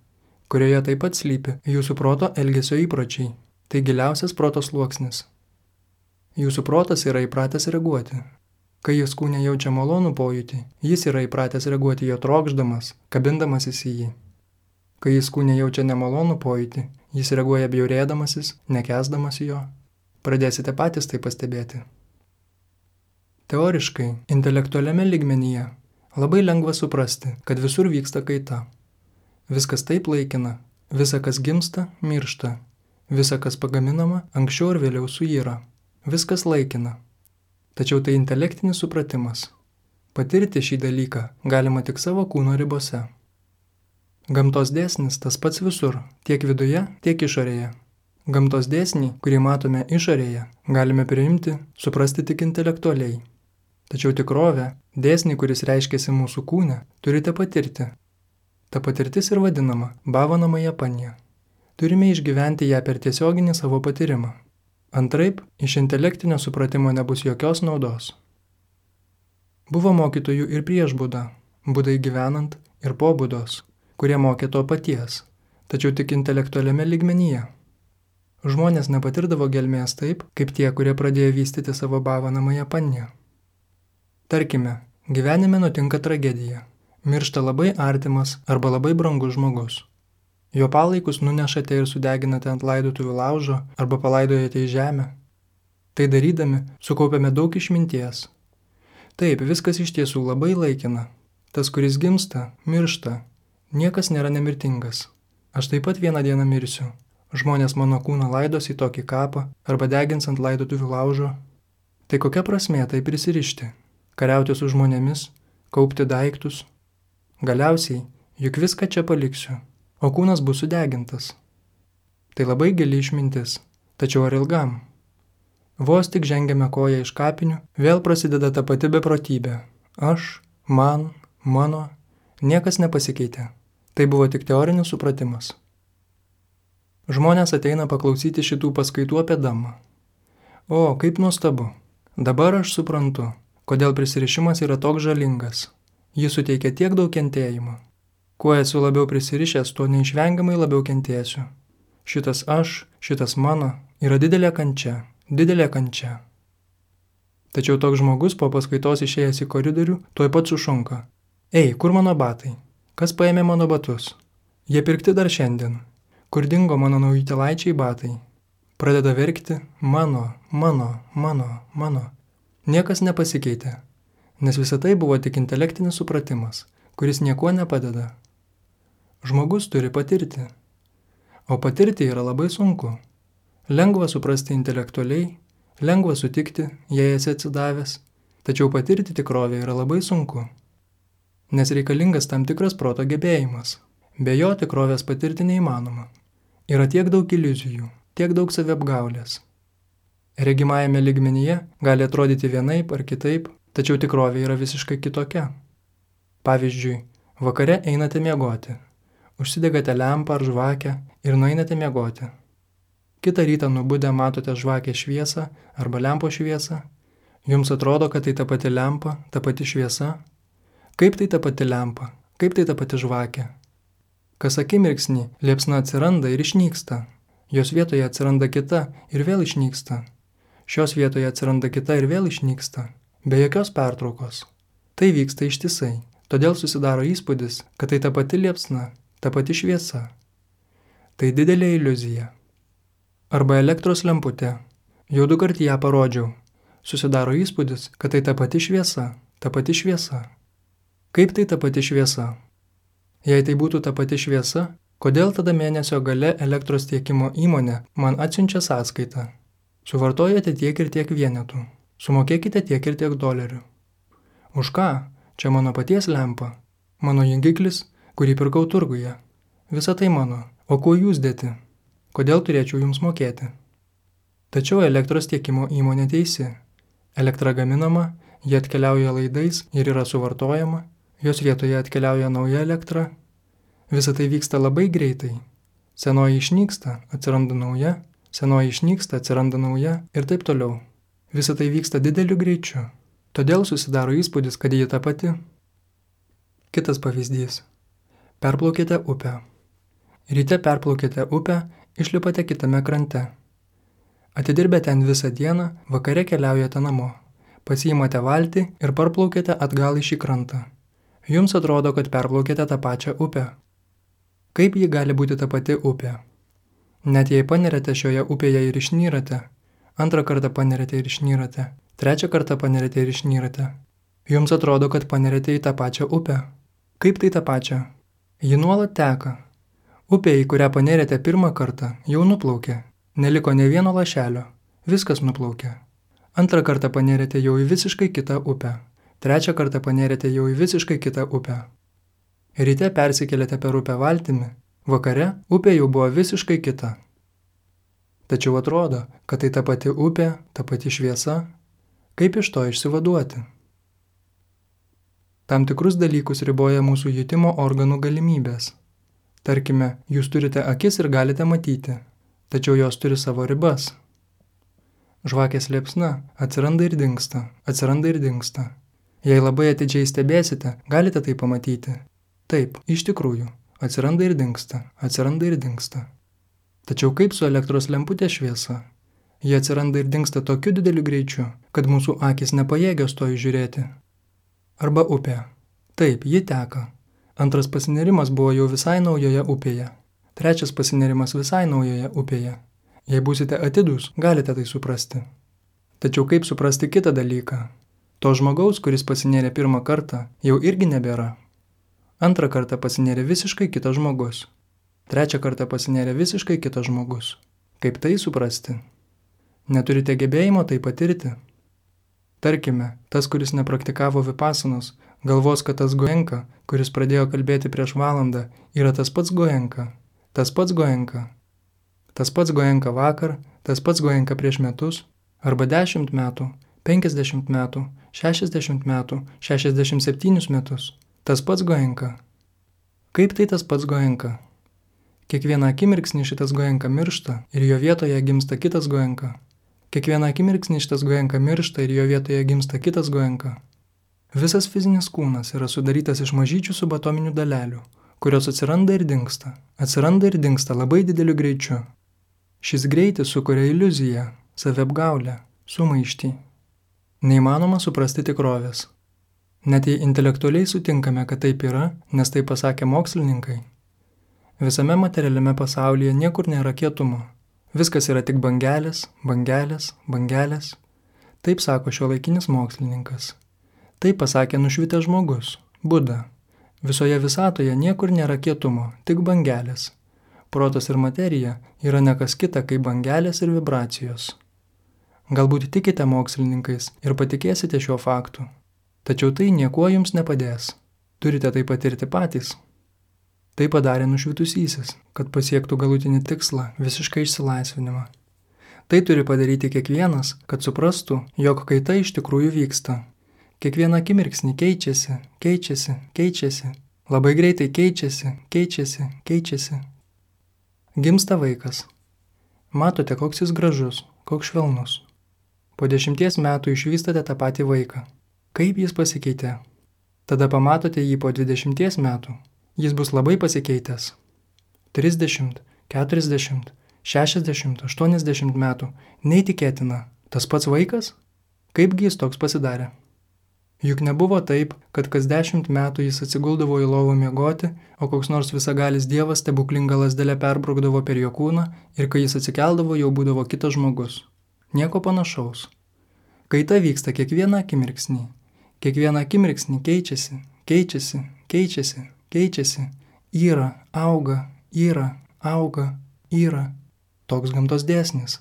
kurioje taip pat slypi jūsų proto elgesio įpročiai. Tai giliausias proto sluoksnis. Jūsų protas yra įpratęs reaguoti. Kai jis kūne jaučia malonų pojūtį, jis yra įpratęs reaguoti jo trokšdamas, kabindamasis į jį. Kai jis kūne jaučia nemalonų pojūtį, jis reaguoja bjaurėdamasis, nekęsdamas jo. Pradėsite patys tai pastebėti. Teoriškai, intelektualiame lygmenyje labai lengva suprasti, kad visur vyksta kaita. Viskas taip laikina, visa kas gimsta, miršta, visa kas pagaminama, anksčiau ir vėliau suyra. Viskas laikina. Tačiau tai intelektinis supratimas. Patirti šį dalyką galima tik savo kūno ribose. Gamtos dėsnis tas pats visur, tiek viduje, tiek išorėje. Gamtos dėsnį, kurį matome išorėje, galime priimti, suprasti tik intelektualiai. Tačiau tikrovę, dėsnį, kuris reiškiasi mūsų kūne, turite patirti. Ta patirtis ir vadinama bhavanamaya panya. Turime išgyventi ją per tiesioginį savo patyrimą. Antraip, iš intelektinio supratimo nebus jokios naudos. Buvo mokytojų ir prieš Budą, Budai gyvenant ir po Budos, kurie mokė to paties, tačiau tik intelektualiame lygmenyje. Žmonės nepatirdavo gelmės taip, kaip tie, kurie pradėjo vystyti savo bhavanamaya panya. Tarkime, gyvenime nutinka tragedija. Miršta labai artimas arba labai brangus žmogus. Jo palaikus nunešate ir sudeginate ant laidotuvių laužo arba palaidojate į žemę. Tai darydami sukaupiame daug išminties. Taip, viskas iš tiesų labai laikina. Tas, kuris gimsta, miršta. Niekas nėra nemirtingas. Aš taip pat vieną dieną mirsiu. Žmonės mano kūną laidos į tokį kapą arba degins ant laidotuvių laužo. Tai kokia prasmė tai prisirišti? Kariauti su žmonėmis, kaupti daiktus. Galiausiai, juk viską čia paliksiu. O kūnas bus sudegintas. Tai labai gili išmintis, tačiau ar ilgam? Vos tik žengiame koją iš kapinių, vėl prasideda ta pati beprotybė. Aš, man, mano, niekas nepasikeitė. Tai buvo tik teorinis supratimas. Žmonės ateina paklausyti šitų paskaitų apie Dhammą. O, kaip nuostabu. Dabar aš suprantu, kodėl prisirišimas yra toks žalingas. Jis suteikia tiek daug kentėjimo. Kuo esu labiau prisirišęs, tuo neišvengiamai labiau kentėsiu. Šitas aš, šitas mano yra didelė kančia, didelė kančia. Tačiau toks žmogus po paskaitos išėjęs į koridorių tuoj pat sušunka. Ei, kur mano batai? Kas paėmė mano batus? Jie pirkti dar šiandien. Kur dingo mano naujutėlaičiai batai? Pradeda verkti mano, mano, mano, mano. Niekas nepasikeitė, nes visa tai buvo tik intelektinis supratimas, kuris niekuo nepadeda. Žmogus turi patirti. O patirti yra labai sunku. Lengva suprasti intelektualiai, lengva sutikti, jei esi atsidavęs, tačiau patirti tikrovę yra labai sunku. Nes reikalingas tam tikras proto gebėjimas. Be jo tikrovės patirti neįmanoma. Yra tiek daug iliuzijų, tiek daug saviapgaulės. Regimajame lygmenyje gali atrodyti vienaip ar kitaip, tačiau tikrovė yra visiškai kitokia. Pavyzdžiui, vakare einate miegoti. Užsidegate lempą ar žvakę ir nueinate miegoti. Kitą rytą nubudę matote žvakę šviesą arba lempo šviesą. Jums atrodo, kad tai ta pati lempa, ta pati šviesa. Kaip tai ta pati lempa? Kaip tai ta pati žvakė? Kas akimirksnį liepsna atsiranda ir išnyksta. Jos vietoje atsiranda kita ir vėl išnyksta. Šios vietoje atsiranda kita ir vėl išnyksta. Be jokios pertraukos. Tai vyksta ištisai. Todėl susidaro įspūdis, kad tai ta pati liepsna, ta pati šviesa. Tai didelė iliuzija. Arba elektros lemputė. Jau du kart ją parodžiau. Susidaro įspūdis, kad tai ta pati šviesa, ta pati šviesa. Kaip tai ta pati šviesa? Jei tai būtų ta pati šviesa, kodėl tada mėnesio gale elektros tiekimo įmonė man atsiunčia sąskaitą? Suvartojate tiek ir tiek vienetų. Sumokėkite tiek ir tiek dolerių. Už ką? Čia mano paties lempa. Mano jungiklis, kurį pirkau turguje. Visa tai mano. O kuo jūs dėti? Kodėl turėčiau jums mokėti? Tačiau elektros tiekimo įmonė teisi. Elektra gaminama, ji atkeliauja laidais ir yra suvartojama, jos vietoje atkeliauja nauja elektra. Visa tai vyksta labai greitai. Senoji išnyksta, atsiranda nauja, senoji išnyksta, atsiranda nauja ir taip toliau. Visa tai vyksta dideliu greičiu. Todėl susidaro įspūdis, kad ji ta pati. Kitas pavyzdys. Perplaukėte upę. Ryte perplaukėte upę, išlipate kitame krante. Atidirbę ten visą dieną, vakare keliaujate namo. Pasiimate valtį ir parplaukėte atgal į šį krantą. Jums atrodo, kad perplaukėte tą pačią upę. Kaip ji gali būti ta pati upė? Net jei panerėte šioje upėje ir išnyrate, antrą kartą panerėte ir išnyrate, trečią kartą panerėte ir išnyrate. Jums atrodo, kad panerėte į tą pačią upę. Kaip tai tą pačią? Ji nuolat teka. Upė, į kurią panerėte pirmą kartą, jau nuplaukė. Neliko ne vieno lašelio. Viskas nuplaukė. Antrą kartą panerėte jau į visiškai kitą upę. Trečią kartą panerėte jau į visiškai kitą upę. Ryte persikėlėte per upę valtimi. Vakare upė jau buvo visiškai kita. Tačiau atrodo, kad tai ta pati upė, ta pati šviesa. Kaip iš to išsivaduoti? Tam tikrus dalykus riboja mūsų jutimo organų galimybės. Tarkime, jūs turite akis ir galite matyti, tačiau jos turi savo ribas. Žvakės liepsna atsiranda ir dingsta, atsiranda ir dingsta. Jei labai atidžiai stebėsite, galite tai pamatyti. Taip, iš tikrųjų, atsiranda ir dingsta, atsiranda ir dingsta. Tačiau kaip su elektros lemputės šviesa? Ji atsiranda ir dingsta tokiu dideliu greičiu, kad mūsų akys nepajėgios to įžiūrėti. Arba upė. Taip, ji teka. Antras pasinerimas buvo jau visai naujoje upėje. Trečias pasinerimas visai naujoje upėje. Jei būsite atidūs, galite tai suprasti. Tačiau kaip suprasti kitą dalyką? To žmogaus, kuris pasinėrė pirmą kartą, jau irgi nebėra. Antrą kartą pasinėrė visiškai kitas žmogus. Trečią kartą pasinėrė visiškai kitas žmogus. Kaip tai suprasti? Neturite gebėjimo tai patirti? Tarkime, tas, kuris nepraktikavo vipasanos, galvos, kad tas Goenka, kuris pradėjo kalbėti prieš valandą, yra tas pats Goenka. Tas pats Goenka. Tas pats Goenka vakar, tas pats Goenka prieš metus, arba dešimt metų, penkiasdešimt metų, šešiasdešimt metų, šešiasdešimt septynius metus. Tas pats Goenka. Kaip tai tas pats Goenka? Kiekvieną akimirksnį šitas Goenka miršta ir jo vietoje gimsta kitas Goenka. Kiekvieną akimirksnį šitas Goenka miršta ir jo vietoje gimsta kitas Goenka. Visas fizinis kūnas yra sudarytas iš mažyčių subatominių dalelių, kurios atsiranda ir dingsta, atsiranda ir dingsta labai dideliu greičiu. Šis greitis sukuria iliuziją, saviapgaulę, sumaištį. Neįmanoma suprasti tikrovės. Net jei intelektualiai sutinkame, kad taip yra, nes tai pasakė mokslininkai. Visame materialiame pasaulyje niekur nėra kietumo. Viskas yra tik bangelės, bangelės, bangelės. Taip sako šiuolaikinis mokslininkas. Taip pasakė nušvitęs žmogus, Buda. Visoje visatoje niekur nėra kietumo, tik bangelės. Protas ir materija yra ne kas kita, kaip bangelės ir vibracijos. Galbūt tikite mokslininkais ir patikėsite šiuo faktu. Tačiau tai niekuo jums nepadės. Turite tai patirti patys. Tai padarė nušvitusysis, kad pasiektų galutinį tikslą, visišką išsilaisvinimą. Tai turi padaryti kiekvienas, kad suprastų, jog kaita iš tikrųjų vyksta. Kiekvieną akimirksnį keičiasi, keičiasi, keičiasi. Labai greitai keičiasi, keičiasi, keičiasi. Gimsta vaikas. Matote, koks jis gražus, koks švelnus. Po dešimties metų išvystate tą patį vaiką. Kaip jis pasikeitė? Tada pamatote jį po dvidešimties metų. Jis bus labai pasikeitęs. trisdešimt, keturiasdešimt, šešiasdešimt, aštuoniasdešimt metų. Neįtikėtina. Tas pats vaikas? Kaipgi jis toks pasidarė? Juk nebuvo taip, kad kas dešimt metų jis atsiguldavo į lovą miegoti, o koks nors visagalis dievas stebuklingą lazdelę perbraukdavo per jo kūną ir kai jis atsikeldavo, jau būdavo kitas žmogus. Nieko panašaus. Kaita vyksta kiekvieną akimirksnį. Kiekvieną akimirksnį keičiasi, keičiasi, keičiasi, keičiasi. Yra, auga, yra, auga, yra. Toks gamtos dėsnis.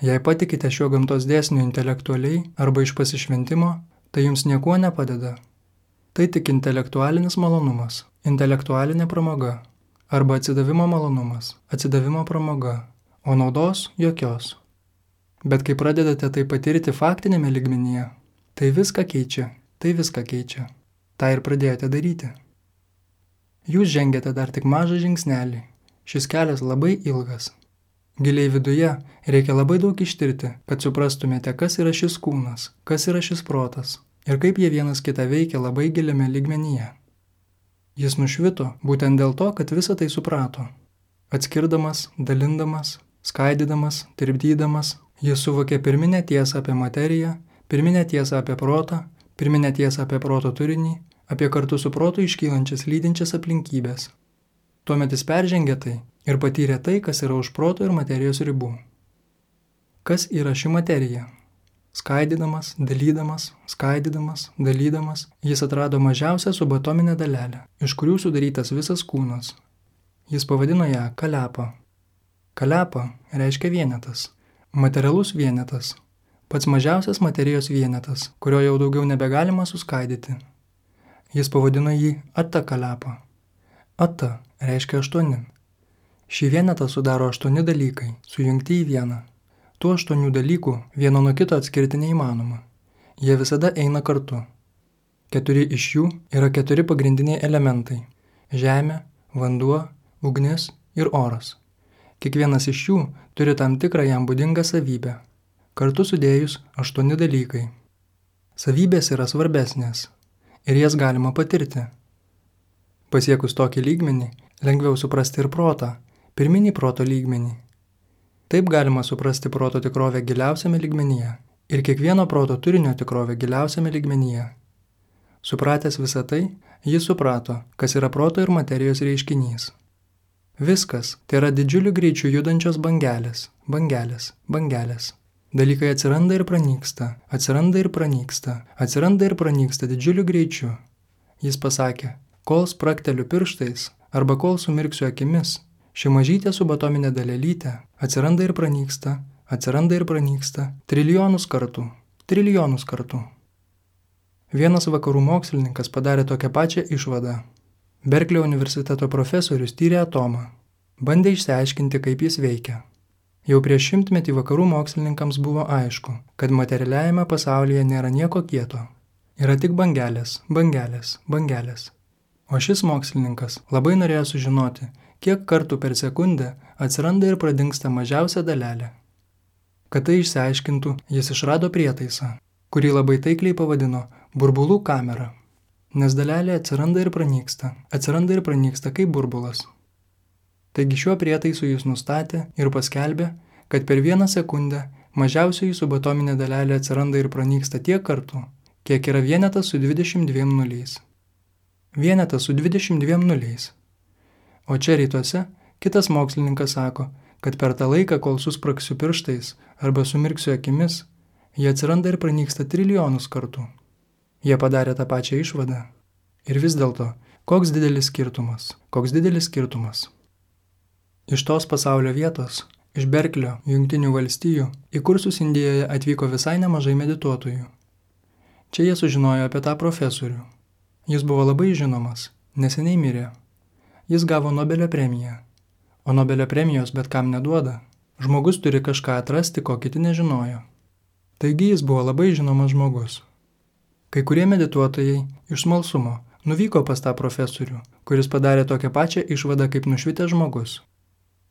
Jei patikite šiuo gamtos dėsniu intelektualiai arba iš pasišventimo, tai jums niekuo nepadeda. Tai tik intelektualinis malonumas, intelektualinė pramoga, arba atsidavimo malonumas, atsidavimo pramoga, o naudos jokios. Bet kai pradedate tai patirti faktinėme lygmenyje, tai viską keičia, tai viską keičia. Ta ir pradėjote daryti. Jūs žengiate dar tik mažą žingsnelį. Šis kelias labai ilgas. Giliai viduje reikia labai daug ištirti, kad suprastumėte, kas yra šis kūnas, kas yra šis protas ir kaip jie vienas kitą veikia labai giliame lygmenyje. Jis nušvito būtent dėl to, kad visą tai suprato. Atskirdamas, dalindamas, skaidydamas, tirpdydamas, jis suvokė pirminę tiesą apie materiją, pirminę tiesą apie protą, pirminę tiesą apie proto turinį, apie kartu su protu iškylančias lydinčias aplinkybės. Tuomet jis peržengė tai ir patyrė tai, kas yra už proto ir materijos ribų. Kas yra ši materija? Skaidydamas, dalydamas, skaidydamas, dalydamas, jis atrado mažiausią subatominę dalelę, iš kurių sudarytas visas kūnas. Jis pavadino ją kalepa. Kalepa reiškia vienetas, materialus vienetas, pats mažiausias materijos vienetas, kurio jau daugiau nebegalima suskaidyti. Jis pavadino jį atta kalepa. Atta reiškia aštuoni. Šį vienetą sudaro aštuoni dalykai, sujungti į vieną. Tų aštuonių dalykų vieno nuo kito atskirti neįmanoma. Jie visada eina kartu. Keturi iš jų yra keturi pagrindiniai elementai – žemė, vanduo, ugnis ir oras. Kiekvienas iš jų turi tam tikrą jam būdingą savybę. Kartu sudėjus aštuoni dalykai. Savybės yra svarbesnės ir jas galima patirti. Pasiekus tokį lygmenį, lengviau suprasti ir protą, pirminį proto lygmenį. Taip galima suprasti proto tikrovę giliausiame lygmenyje ir kiekvieno proto turinio tikrovę giliausiame lygmenyje. Supratęs visą tai, jis suprato, kas yra proto ir materijos reiškinys. Viskas tai yra didžiuliu greičiu judančios bangelės, bangelės, bangelės. Dalykai atsiranda ir pranyksta, atsiranda ir pranyksta, atsiranda ir pranyksta didžiuliu greičiu. Jis pasakė, kol sprakteliu pirštais arba kol sumirksiu akimis, ši mažytė subatominė dalelytė atsiranda ir pranyksta, atsiranda ir pranyksta trilijonus kartų, trilijonus kartų. Vienas vakarų mokslininkas padarė tokią pačią išvadą. Berklio universiteto profesorius tyrė atomą, bandė išsiaiškinti, kaip jis veikia. Jau prieš šimtmetį vakarų mokslininkams buvo aišku, kad materialiajame pasaulyje nėra nieko kieto. Yra tik bangelės, bangelės, bangelės. O šis mokslininkas labai norėjo sužinoti, kiek kartų per sekundę atsiranda ir pradingsta mažiausia dalelė. Kad tai išsiaiškintų, jis išrado prietaisą, kurį labai taikliai pavadino burbulų kamera, nes dalelė atsiranda ir pranyksta, atsiranda ir pranyksta kaip burbulas. Taigi šiuo prietaisu jis nustatė ir paskelbė, kad per vieną sekundę mažiausioji subatominė dalelė atsiranda ir pranyksta tiek kartų, kiek yra vienetas su dvidešimt dviem nuliais. Vienetas su dvidešimt dviem nuliais. O čia rytuose kitas mokslininkas sako, kad per tą laiką, kol suspraksiu pirštais arba sumirksiu akimis, jie atsiranda ir pranyksta trilijonus kartų. Jie padarė tą pačią išvadą. Ir vis dėlto, koks didelis skirtumas, koks didelis skirtumas. Iš tos pasaulio vietos, iš Berklio, Jungtinių valstijų, į kursus Indijoje atvyko visai nemažai medituotojų. Čia jie sužinojo apie tą profesorių. Jis buvo labai žinomas, neseniai mirė. Jis gavo Nobelio premiją, o Nobelio premijos bet kam neduoda. Žmogus turi kažką atrasti, ko kiti nežinojo. Taigi jis buvo labai žinomas žmogus. Kai kurie medituotojai iš smalsumo nuvyko pas tą profesorių, kuris padarė tokią pačią išvadą kaip nušvitęs žmogus.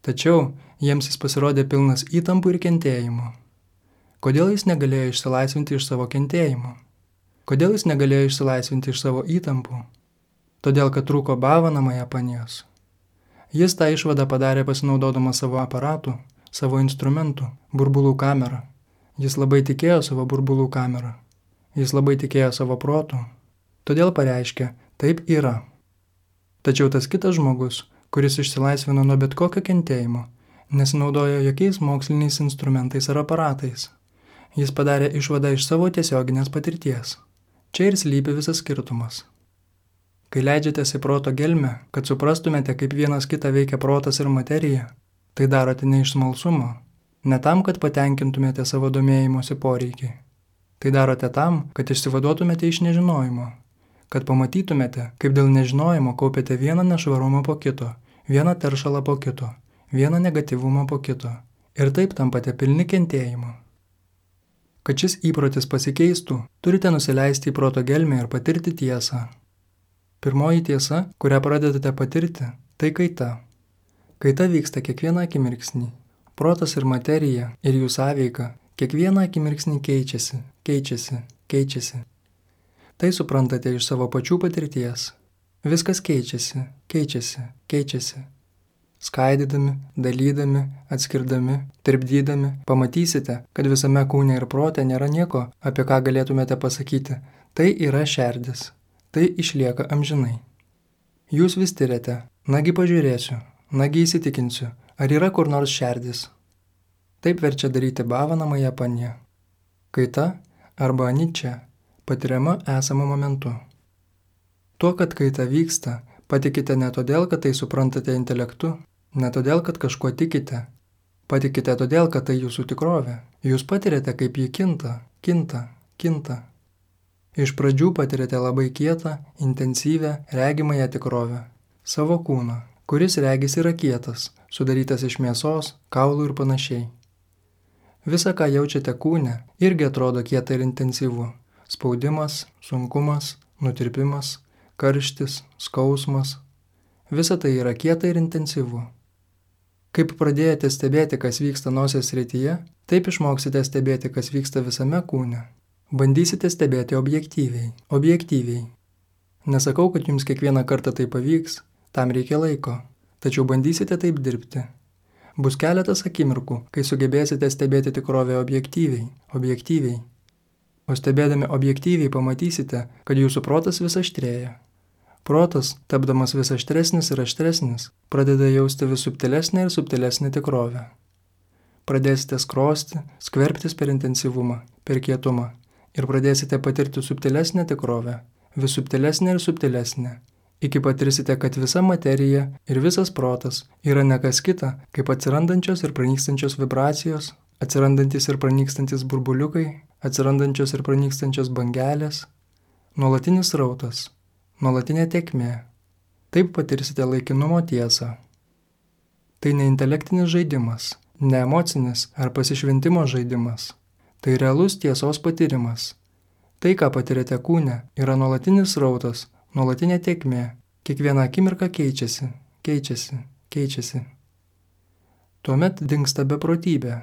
Tačiau jiems jis pasirodė pilnas įtampų ir kentėjimo. Kodėl jis negalėjo išsilaisvinti iš savo kentėjimo? Kodėl jis negalėjo išsilaisvinti iš savo įtampų? Todėl, kad trūko bhavanamaya panijos. Jis tą išvadą padarė pasinaudodamas savo aparatų, savo instrumentų, burbulų kamerą. Jis labai tikėjo savo burbulų kamerą. Jis labai tikėjo savo protu. Todėl pareiškė, taip yra. Tačiau tas kitas žmogus, kuris išsilaisvino nuo bet kokio kentėjimo, nesinaudojo jokiais moksliniais instrumentais ar aparatais. Jis padarė išvadą iš savo tiesioginės patirties. Čia ir slypi visas skirtumas. Kai leidžiatės į proto gelmę, kad suprastumėte, kaip vienas kitą veikia protas ir materija, tai darote ne iš smalsumo, ne tam, kad patenkintumėte savo domėjimosi poreikį. Tai darote tam, kad išsivaduotumėte iš nežinojimo, kad pamatytumėte, kaip dėl nežinojimo kaupiate vieną nešvarumą po kito, vieną teršalą po kito, vieną negatyvumą po kito ir taip tampate pilni kentėjimo. Kad šis įprotis pasikeistų, turite nusileisti į proto gelmę ir patirti tiesą. Pirmoji tiesa, kurią pradedate patirti, tai kaita. Kaita vyksta kiekvieną akimirksnį. Protas ir materija ir jų sąveika kiekvieną akimirksnį keičiasi, keičiasi, keičiasi. Tai suprantate iš savo pačių patirties. Viskas keičiasi, keičiasi, keičiasi. Skaidydami, dalydami, atskirdami, tirpdydami, pamatysite, kad visame kūne ir prote nėra nieko, apie ką galėtumėte pasakyti. Tai yra šerdis. Tai išlieka amžinai. Jūs vis tiriate, nagi pažiūrėsiu, nagi įsitikinsiu, ar yra kur nors šerdis. Taip verčia daryti bhavana Japanje. Kaita arba aničia patiriama esamu momentu. Tuo, kad kaita vyksta, patikite ne todėl, kad tai suprantate intelektu, ne todėl, kad kažkuo tikite. Patikite todėl, kad tai jūsų tikrovė. Jūs patiriate, kaip ji kinta, kinta, kinta. Iš pradžių patiriate labai kietą, intensyvę, regimąją tikrovę. Savo kūną, kuris regis yra kietas, sudarytas iš mėsos, kaulų ir panašiai. Visa, ką jaučiate kūne, irgi atrodo kieta ir intensyvu. Spaudimas, sunkumas, nutirpimas, karštis, skausmas. Visa tai yra kieta ir intensyvu. Kaip pradėjote stebėti, kas vyksta nosies srityje, taip išmoksite stebėti, kas vyksta visame kūne. Bandysite stebėti objektyviai, objektyviai. Nesakau, kad jums kiekvieną kartą tai pavyks, tam reikia laiko, tačiau bandysite taip dirbti. Bus keletas akimirkų, kai sugebėsite stebėti tikrovę objektyviai, objektyviai. O stebėdami objektyviai pamatysite, kad jūsų protas vis aštrėja. Protas, tapdamas vis aštresnis ir aštresnis, pradeda jausti vis subtilesnę ir subtilesnę tikrovę. Pradėsite skrosti, skverbtis per intensyvumą, per kietumą ir pradėsite patirti subtilesnę tikrovę, vis subtilesnę ir subtilesnę, iki patirsite, kad visa materija ir visas protas yra ne kas kita, kaip atsirandančios ir pranykstančios vibracijos, atsirandantis ir pranykstantis burbuliukai, atsirandančios ir pranykstančios bangelės, nuolatinis rautas, nuolatinė tėkmė. Taip patirsite laikinumo tiesą. Tai ne intelektinis žaidimas, ne emocinis ar pasišventimo žaidimas. Tai realus tiesos patyrimas. Tai, ką patiriate kūne, yra nuolatinis rautas, nuolatinė tėkmė. Kiekviena akimirka keičiasi, keičiasi, keičiasi. Tuomet dingsta beprotybė.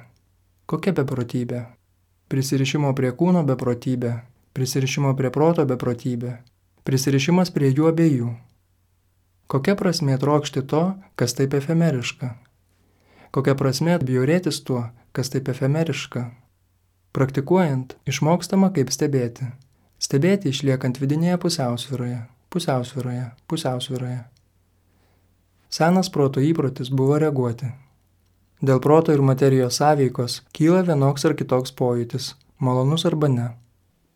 Kokia beprotybė? Prisirišimo prie kūno beprotybė, prisirišimo prie proto beprotybė, prisirišimas prie jų abiejų. Kokia prasmė trokšti to, kas taip efemeriška? Kokia prasmė bjaurėtis tuo, kas taip efemeriška? Praktikuojant, išmokstama kaip stebėti. Stebėti išliekant vidinėje pusiausvyroje, pusiausvyroje, pusiausvyroje. Senas proto įprotis buvo reaguoti. Dėl proto ir materijos sąveikos kyla vienoks ar kitoks pojūtis, malonus arba ne.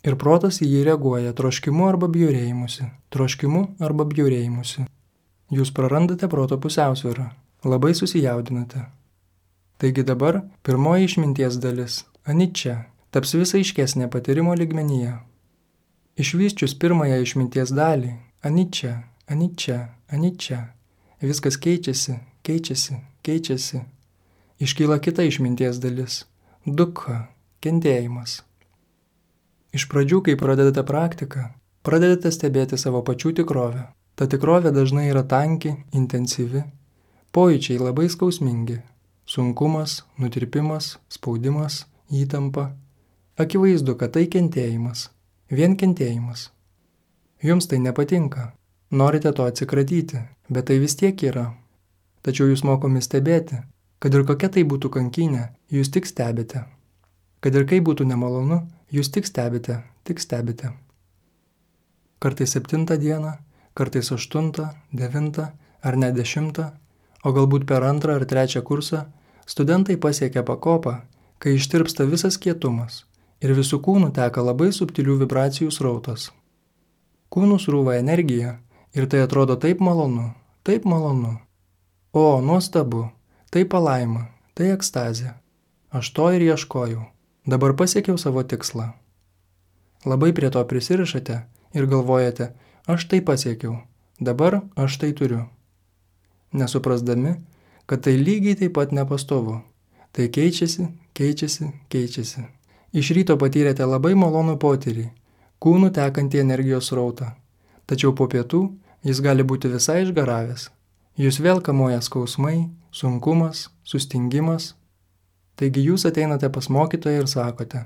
Ir protas į jį reaguoja troškimu arba bjaurėjimusi, troškimu arba bjaurėjimusi. Jūs prarandate proto pusiausvyrą, labai susijaudinate. Taigi dabar pirmoji išminties dalis, aničia, taps vis aiškesnė patyrimo lygmenyje. Išvysčius pirmąją išminties dalį, aničia, aničia, aničia, viskas keičiasi, keičiasi, keičiasi. Iškyla kita išminties dalis – dukha, kentėjimas. Iš pradžių, kai pradedate praktiką, pradedate stebėti savo pačių tikrovę. Ta tikrovė dažnai yra tanki, intensyvi, pojūčiai labai skausmingi – sunkumas, nutirpimas, spaudimas, įtampa. Akivaizdu, kad tai kentėjimas, vien kentėjimas. Jums tai nepatinka, norite to atsikratyti, bet tai vis tiek yra. Tačiau jūs mokomi stebėti, kad ir kokia tai būtų kankynė, jūs tik stebite. Kad ir kaip būtų nemalonu, jūs tik stebite, tik stebite. Kartais septintą dieną, kartais aštuntą, devintą ar net dešimtą, o galbūt per antrą ar trečią kursą, studentai pasiekia pakopą, kai ištirpsta visas kietumas ir visų kūnų teka labai subtilių vibracijų srautas. Kūnų srūva energija ir tai atrodo taip malonu, taip malonu. O, nuostabu. Tai palaima, tai ekstazė. Aš to ir ieškojau. Dabar pasiekiau savo tikslą. Labai prie to prisirišate ir galvojate, aš tai pasiekiau, dabar aš tai turiu. Nesuprasdami, kad tai lygiai taip pat nepastovu. Tai keičiasi, keičiasi, keičiasi. Iš ryto patyrėte labai malonų potyrį, kūnų tekantį energijos srautą. Tačiau po pietų jis gali būti visai išgaravęs. Jūs vėl kamuoja skausmai, sunkumas, sustingimas. Taigi jūs ateinate pas mokytoją ir sakote,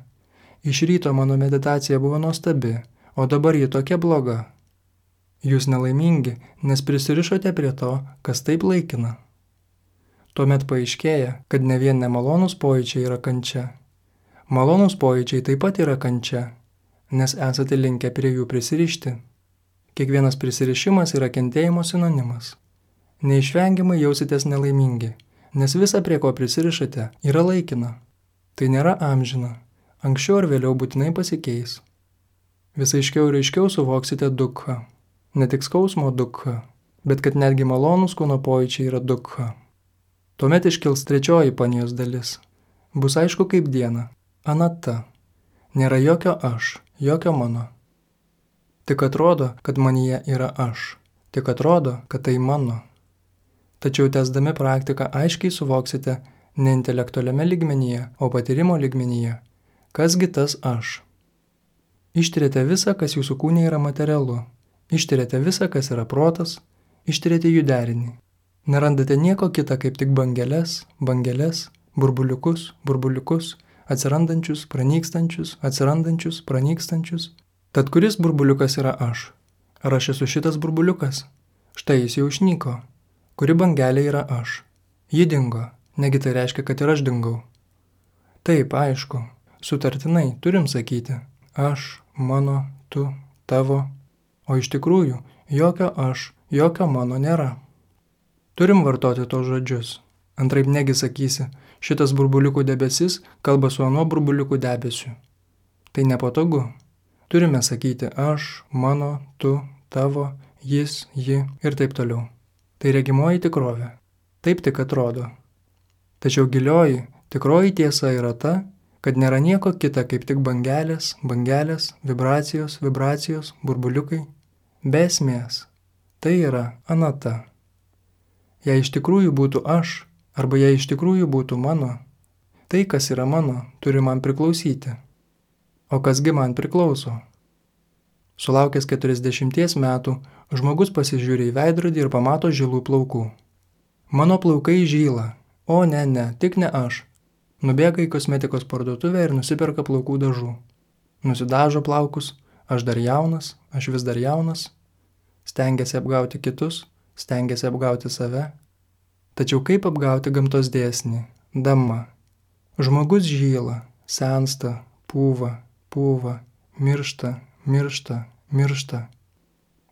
iš ryto mano meditacija buvo nuostabi, o dabar ji tokia bloga. Jūs nelaimingi, nes prisirišote prie to, kas taip laikina. Tuomet paaiškėja, kad ne vien nemalonūs pojūčiai yra kančia. Malonūs pojūčiai taip pat yra kančia, nes esate linkę prie jų prisirišti. Kiekvienas prisirišimas yra kentėjimo sinonimas. Neišvengiamai jausitės nelaimingi, nes visa, prie ko prisirišate, yra laikina. Tai nėra amžina. Anksčiau ar vėliau būtinai pasikeis. Vis aiškiau ir aiškiau suvoksite dukha. Ne tik skausmo dukha, bet kad netgi malonūs kūno pojūčiai yra dukha. Tuomet iškils trečioji panijos dalis. Bus aišku kaip diena. Anata. Nėra jokio aš, jokio mano. Tik atrodo, kad manyje yra aš. Tik atrodo, kad tai mano. Tačiau tęsdami praktiką aiškiai suvoksite ne intelektualiame lygmenyje, o patyrimo lygmenyje. Kasgi tas aš? Ištiriate visą, kas jūsų kūne yra materialu. Ištiriate visą, kas yra protas. Ištiriate jų derinį. Nerandate nieko kita kaip tik bangeles, bangeles, burbuliukus, burbuliukus, atsirandančius, pranykstančius, atsirandančius, pranykstančius. Tad kuris burbuliukas yra aš? Ar aš esu šitas burbuliukas? Štai jis jau išnyko. Kuri bangelė yra aš? Ji dingo. Negi tai reiškia, kad ir aš dingau. Taip, aišku. Sutartinai turim sakyti. Aš, mano, tu, tavo. O iš tikrųjų, jokio aš, jokio mano nėra. Turim vartoti tos žodžius. Antraip negi sakysi, šitas burbuliukų debesis kalba su anuo burbuliukų debesiu. Tai nepatogu. Turime sakyti aš, mano, tu, tavo, jis, ji ir taip toliau. Tai regimoji tikrovė. Taip tik atrodo. Tačiau gilioji, tikroji tiesa yra ta, kad nėra nieko kita kaip tik bangelės, bangelės, vibracijos, vibracijos, burbuliukai. Be esmės. Tai yra anata. Jei iš tikrųjų būtų aš, arba jei iš tikrųjų būtų mano, tai, kas yra mano, turi man priklausyti. O kasgi man priklauso? Sulaukęs keturiasdešimties metų, žmogus pasižiūri į veidrodį ir pamato žilų plaukų. Mano plaukai žyla. O ne, ne, tik ne aš. Nubėga į kosmetikos parduotuvę ir nusiperka plaukų dažų. Nusidažo plaukus, aš dar jaunas, aš vis dar jaunas. Stengiasi apgauti kitus, stengiasi apgauti save. Tačiau kaip apgauti gamtos dėsnį? Dama. Žmogus žyla, sensta, pūva, pūva, miršta, miršta, miršta.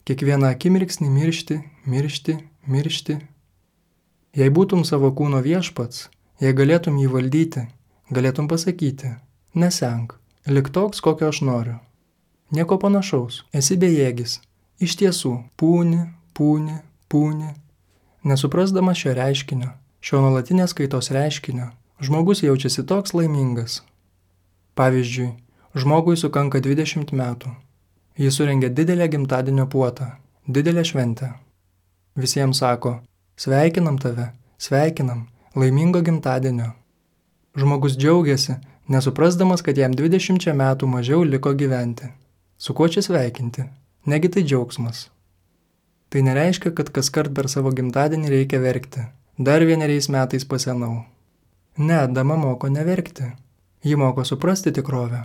Kiekvieną akimirksnį miršti, miršti, miršti. Jei būtum savo kūno viešpats, jei galėtum jį valdyti, galėtum pasakyti, nesenk, lik toks, kokio aš noriu. Nieko panašaus, esi bejėgis, iš tiesų, pūni, pūni, pūni. Nesuprasdamas šio reiškinio, šio nuolatinės kaitos reiškinio, žmogus jaučiasi toks laimingas. Pavyzdžiui, žmogui sukanka dvidešimt metų. Jis surengia didelę gimtadienio puotą, didelę šventę. Visiems sako, sveikinam tave, sveikinam, laimingo gimtadienio. Žmogus džiaugiasi, nesuprasdamas, kad jam dvidešimčia metų mažiau liko gyventi. Su kuo čia sveikinti? Negi tai džiaugsmas. Tai nereiškia, kad kaskart per savo gimtadienį reikia verkti. Dar vieneriais metais pasenau. Ne, dama moko neverkti. Ji moko suprasti tikrovę.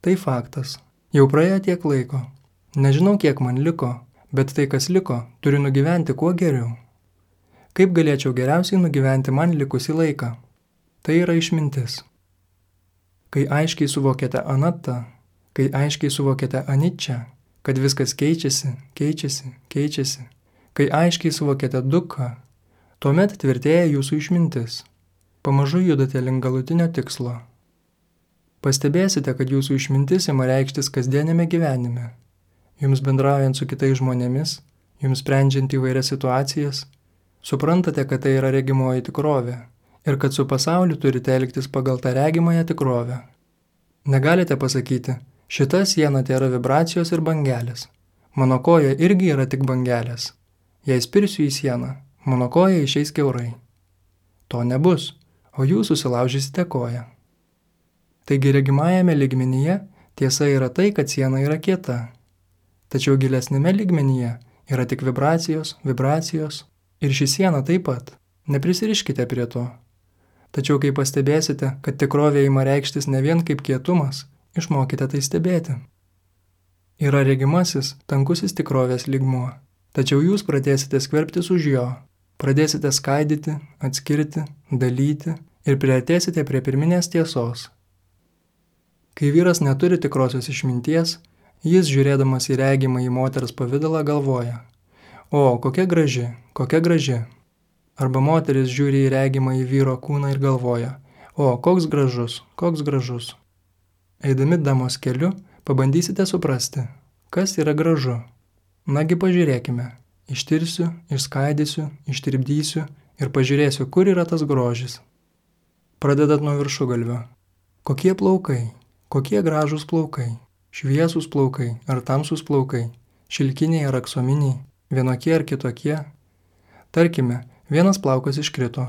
Tai faktas. Jau praėjo tiek laiko. Nežinau, kiek man liko, bet tai, kas liko, turi nugyventi kuo geriau. Kaip galėčiau geriausiai nugyventi man likusį laiką? Tai yra išmintis. Kai aiškiai suvokėte anatą, kai aiškiai suvokėte aničą, kad viskas keičiasi, keičiasi, keičiasi, kai aiškiai suvokėte dukhą, tuomet tvirtėja jūsų išmintis. Pamažu judate link galutinio tikslo. Pastebėsite, kad jūsų išmintis ima reikštis kasdienėme gyvenime. Jums bendraujant su kitais žmonėmis, jums sprendžiant įvairias situacijas, suprantate, kad tai yra regimoji tikrovė ir kad su pasauliu turite elgtis pagal tą regimąją tikrovę. Negalite pasakyti, šita siena tai yra vibracijos ir bangelės. Mano koja irgi yra tik bangelės. Jei spirsiu į sieną, mano koja išeis kiaurai. To nebus, o jūs susilaužysite koją. Taigi regimajame lygmenyje tiesa yra tai, kad siena yra kieta. Tačiau gilesnėme lygmenyje yra tik vibracijos, vibracijos ir ši siena taip pat. Neprisiriškite prie to. Tačiau kai pastebėsite, kad tikrovė ima reikštis ne vien kaip kietumas, išmokite tai stebėti. Yra regimasis, tankusis tikrovės lygmuo, tačiau jūs pradėsite skverbtis už jo, pradėsite skaidyti, atskirti, dalyti ir priartėsite prie pirminės tiesos. Kai vyras neturi tikrosios išminties, jis, žiūrėdamas į regimą į moters pavidalą, galvoja: o, kokia graži, kokia graži. Arba moteris žiūri į regimą į vyro kūną ir galvoja: o, koks gražus, koks gražus. Eidami damos keliu, pabandysite suprasti, kas yra gražu. Nagi pažiūrėkime, ištirsiu, išskaidysiu, ištirpdysiu ir pažiūrėsiu, kur yra tas grožis. Pradedat nuo viršugalvio. Kokie plaukai, kokie gražūs plaukai, šviesūs plaukai ar tamsūs plaukai, šilkiniai ar aksominiai, vienokie ar kitokie. Tarkime, vienas plaukas iškrito.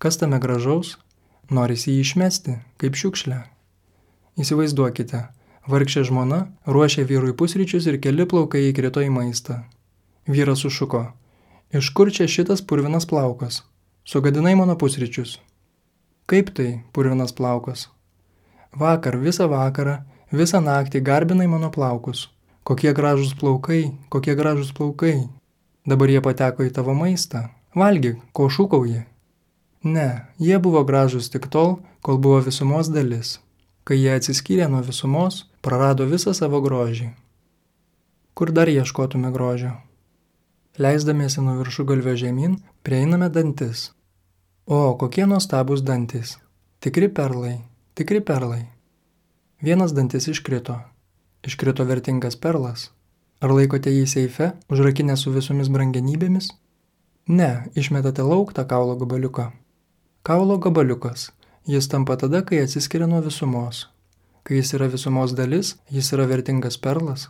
Kas tame gražaus? Norisi jį išmesti, kaip šiukšlę. Įsivaizduokite, vargšė žmona ruošia vyrui pusryčius ir keli plaukai įkrito į maistą. Vyras sušuko: iš kur čia šitas purvinas plaukas? Sugadinai mano pusryčius. Kaip tai, purvinas plaukas? Vakar, visą vakarą, visą naktį garbinai mano plaukus. Kokie gražūs plaukai, kokie gražūs plaukai. Dabar jie pateko į tavo maistą. Valgyk, ko šūkauji. Ne, jie buvo gražūs tik tol, kol buvo visumos dalis. Kai jie atsiskyrė nuo visumos, prarado visą savo grožį. Kur dar ieškotume grožio? Leisdamiesi nuo viršugalvio žemyn, prieiname dantis. O, kokie nuostabūs dantis. Tikri perlai, tikri perlai. Vienas dantis iškrito. Iškrito vertingas perlas. Ar laikote jį seife, užrakinę su visomis brangenybėmis? Ne, išmetate lauk tą kaulo gabaliuką. Kaulo gabaliukas. Jis tampa tada, kai atsiskiria nuo visumos. Kai jis yra visumos dalis, jis yra vertingas perlas.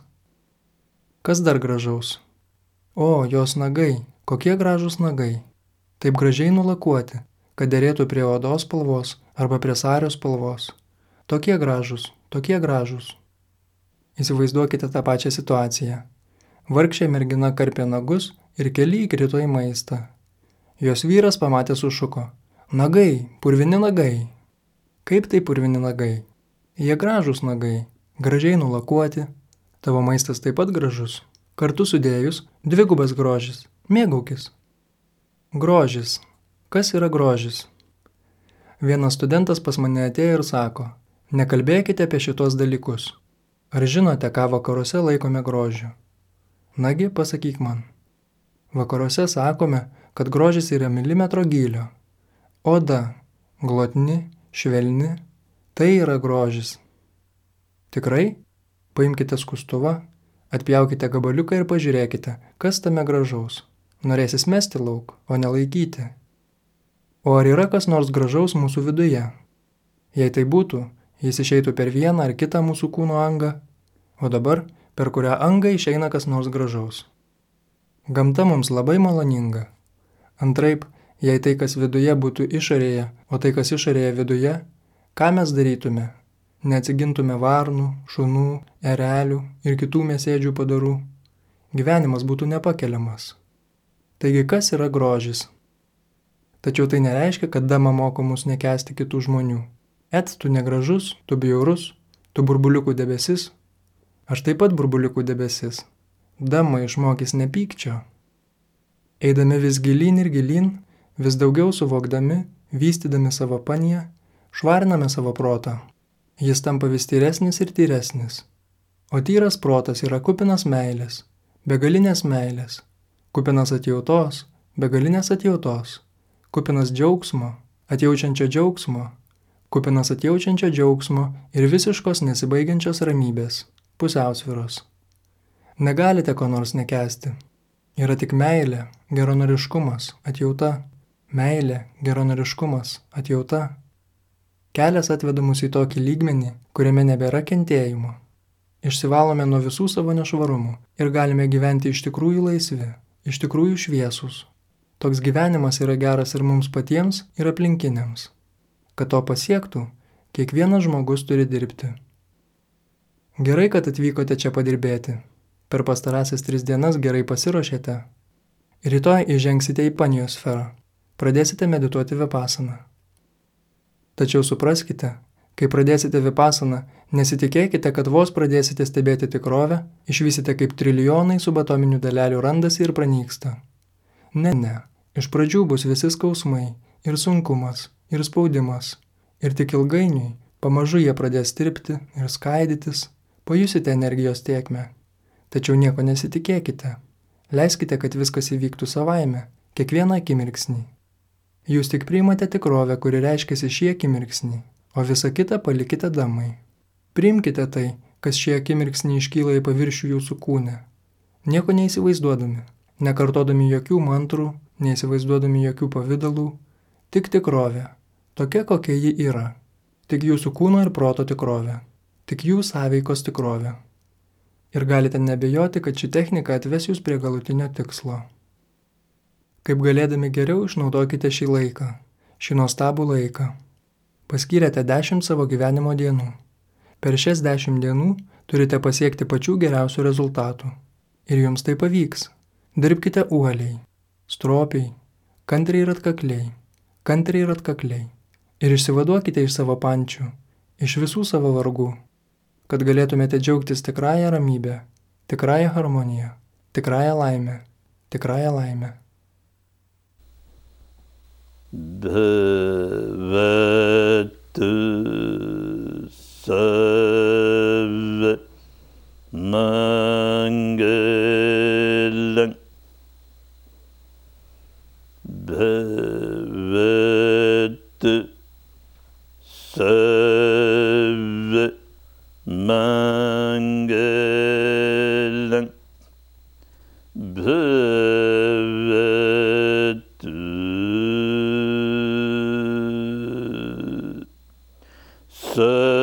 Kas dar gražaus? O, jos nagai, kokie gražūs nagai. Taip gražiai nulakuoti, kad derėtų prie odos spalvos arba prie sario spalvos. Tokie gražūs, tokie gražūs. Įsivaizduokite tą pačią situaciją. Vargšė mergina karpė nagus ir keli įkrito į maistą. Jos vyras pamatė sušuko: nagai, purvini nagai. Kaip tai purvini nagai? Jie gražūs nagai, gražiai nulakuoti. Tavo maistas taip pat gražus. Kartu sudėjus, dvigubas grožis. Mėgaukis. Grožis. Kas yra grožis? Vienas studentas pas mane atėjo ir sako: nekalbėkite apie šitos dalykus. Ar žinote, ką vakaruose laikome grožiu? Nagi, pasakyk man. Vakaruose sakome, kad grožis yra milimetro gylio. Oda, glotni, švelni, tai yra grožis. Tikrai? Paimkite skustuvą, atpjaukite gabaliuką ir pažiūrėkite, kas tame gražaus. Norėsis mesti lauk, o nelaikyti. O ar yra kas nors gražaus mūsų viduje? Jei tai būtų, jis išeitų per vieną ar kitą mūsų kūno angą, o dabar per kurią angą išeina kas nors gražaus. Gamta mums labai maloninga. Antraip, jei tai, kas viduje būtų išorėje, o tai, kas išorėje viduje, ką mes darytume? Neatsigintume varnų, šunų, erelių ir kitų mėsėdžių padarų. Gyvenimas būtų nepakeliamas. Taigi, kas yra grožis? Tačiau tai nereiškia, kad dama moko mus nekęsti kitų žmonių. Et, tu negražus, tu bjaurus, tu burbuliukų debesis. Aš taip pat burbuliukų debesis. Dama išmokys nepykčio. Eidami vis gilyn ir gilyn, vis daugiau suvokdami, vystydami savo paniją, švariname savo protą. Jis tampa vis tyresnis ir tyresnis. O tyras protas yra kupinas meilės, begalinės meilės, kupinas atjautos, begalinės atjautos, kupinas džiaugsmo, atjaučiančio džiaugsmo, kupinas atjaučiančio džiaugsmo ir visiškos nesibaigiančios ramybės, pusiausvyros. Negalite ko nors nekęsti. Yra tik meilė, geranoriškumas, atjauta. Meilė, geranoriškumas, atjauta. Kelias atveda mus į tokį lygmenį, kuriame nebėra kentėjimo. Išsivalome nuo visų savo nešvarumų ir galime gyventi iš tikrųjų laisvi, iš tikrųjų šviesūs. Toks gyvenimas yra geras ir mums patiems, ir aplinkiniams. Kad to pasiektų, kiekvienas žmogus turi dirbti. Gerai, kad atvykote čia padirbėti. Per pastarąsias tris dienas gerai pasiruošėte. Rytoj įžengsite į panijos sferą. Pradėsite medituoti vipasaną. Tačiau supraskite, Kai pradėsite vipasaną, nesitikėkite, kad vos pradėsite stebėti tikrovę, išvysite kaip trilijonai subatominių dalelių randasi ir pranyksta. Ne, ne. Iš pradžių bus visi skausmai, ir sunkumas, ir spaudimas. Ir tik ilgainiui, pamažu jie pradės tirpti ir skaidytis, pajusite energijos tėkmę. Tačiau nieko nesitikėkite. Leiskite, kad viskas įvyktų savaime, kiekvieną akimirksnį. Jūs tik priimate tikrovę, kuri reiškiasi šį akimirksnį, o visą kitą palikite damai. Priimkite tai, kas šį akimirksnį iškyla į paviršių jūsų kūne. Nieko neįsivaizduodami, nekartodami jokių mantrų, neįsivaizduodami jokių pavydalų, tik tikrovė, tokia kokia ji yra, tik jūsų kūno ir proto tikrovė, tik jų sąveikos tikrovė. Ir galite nebejoti, kad ši technika atves jūs prie galutinio tikslo. Kaip galėdami geriau išnaudokite šį laiką, šį nuostabų laiką. Paskyrėte dešimt savo gyvenimo dienų. Per šias dešimt dienų turite pasiekti pačių geriausių rezultatų. Ir jums tai pavyks. Dirbkite uoliai, stropiai, kantriai ir atkakliai, kantriai ir atkakliai. Ir išsivaduokite iš savo pančių, iš visų savo vargų, kad galėtumėte džiaugtis tikrąją ramybę, tikrąją harmoniją, tikrąją laimę, tikrąją laimę. Bhavatu Sarva Mangalam Bhavatu Sarva Mangalam Bhavatu Sarva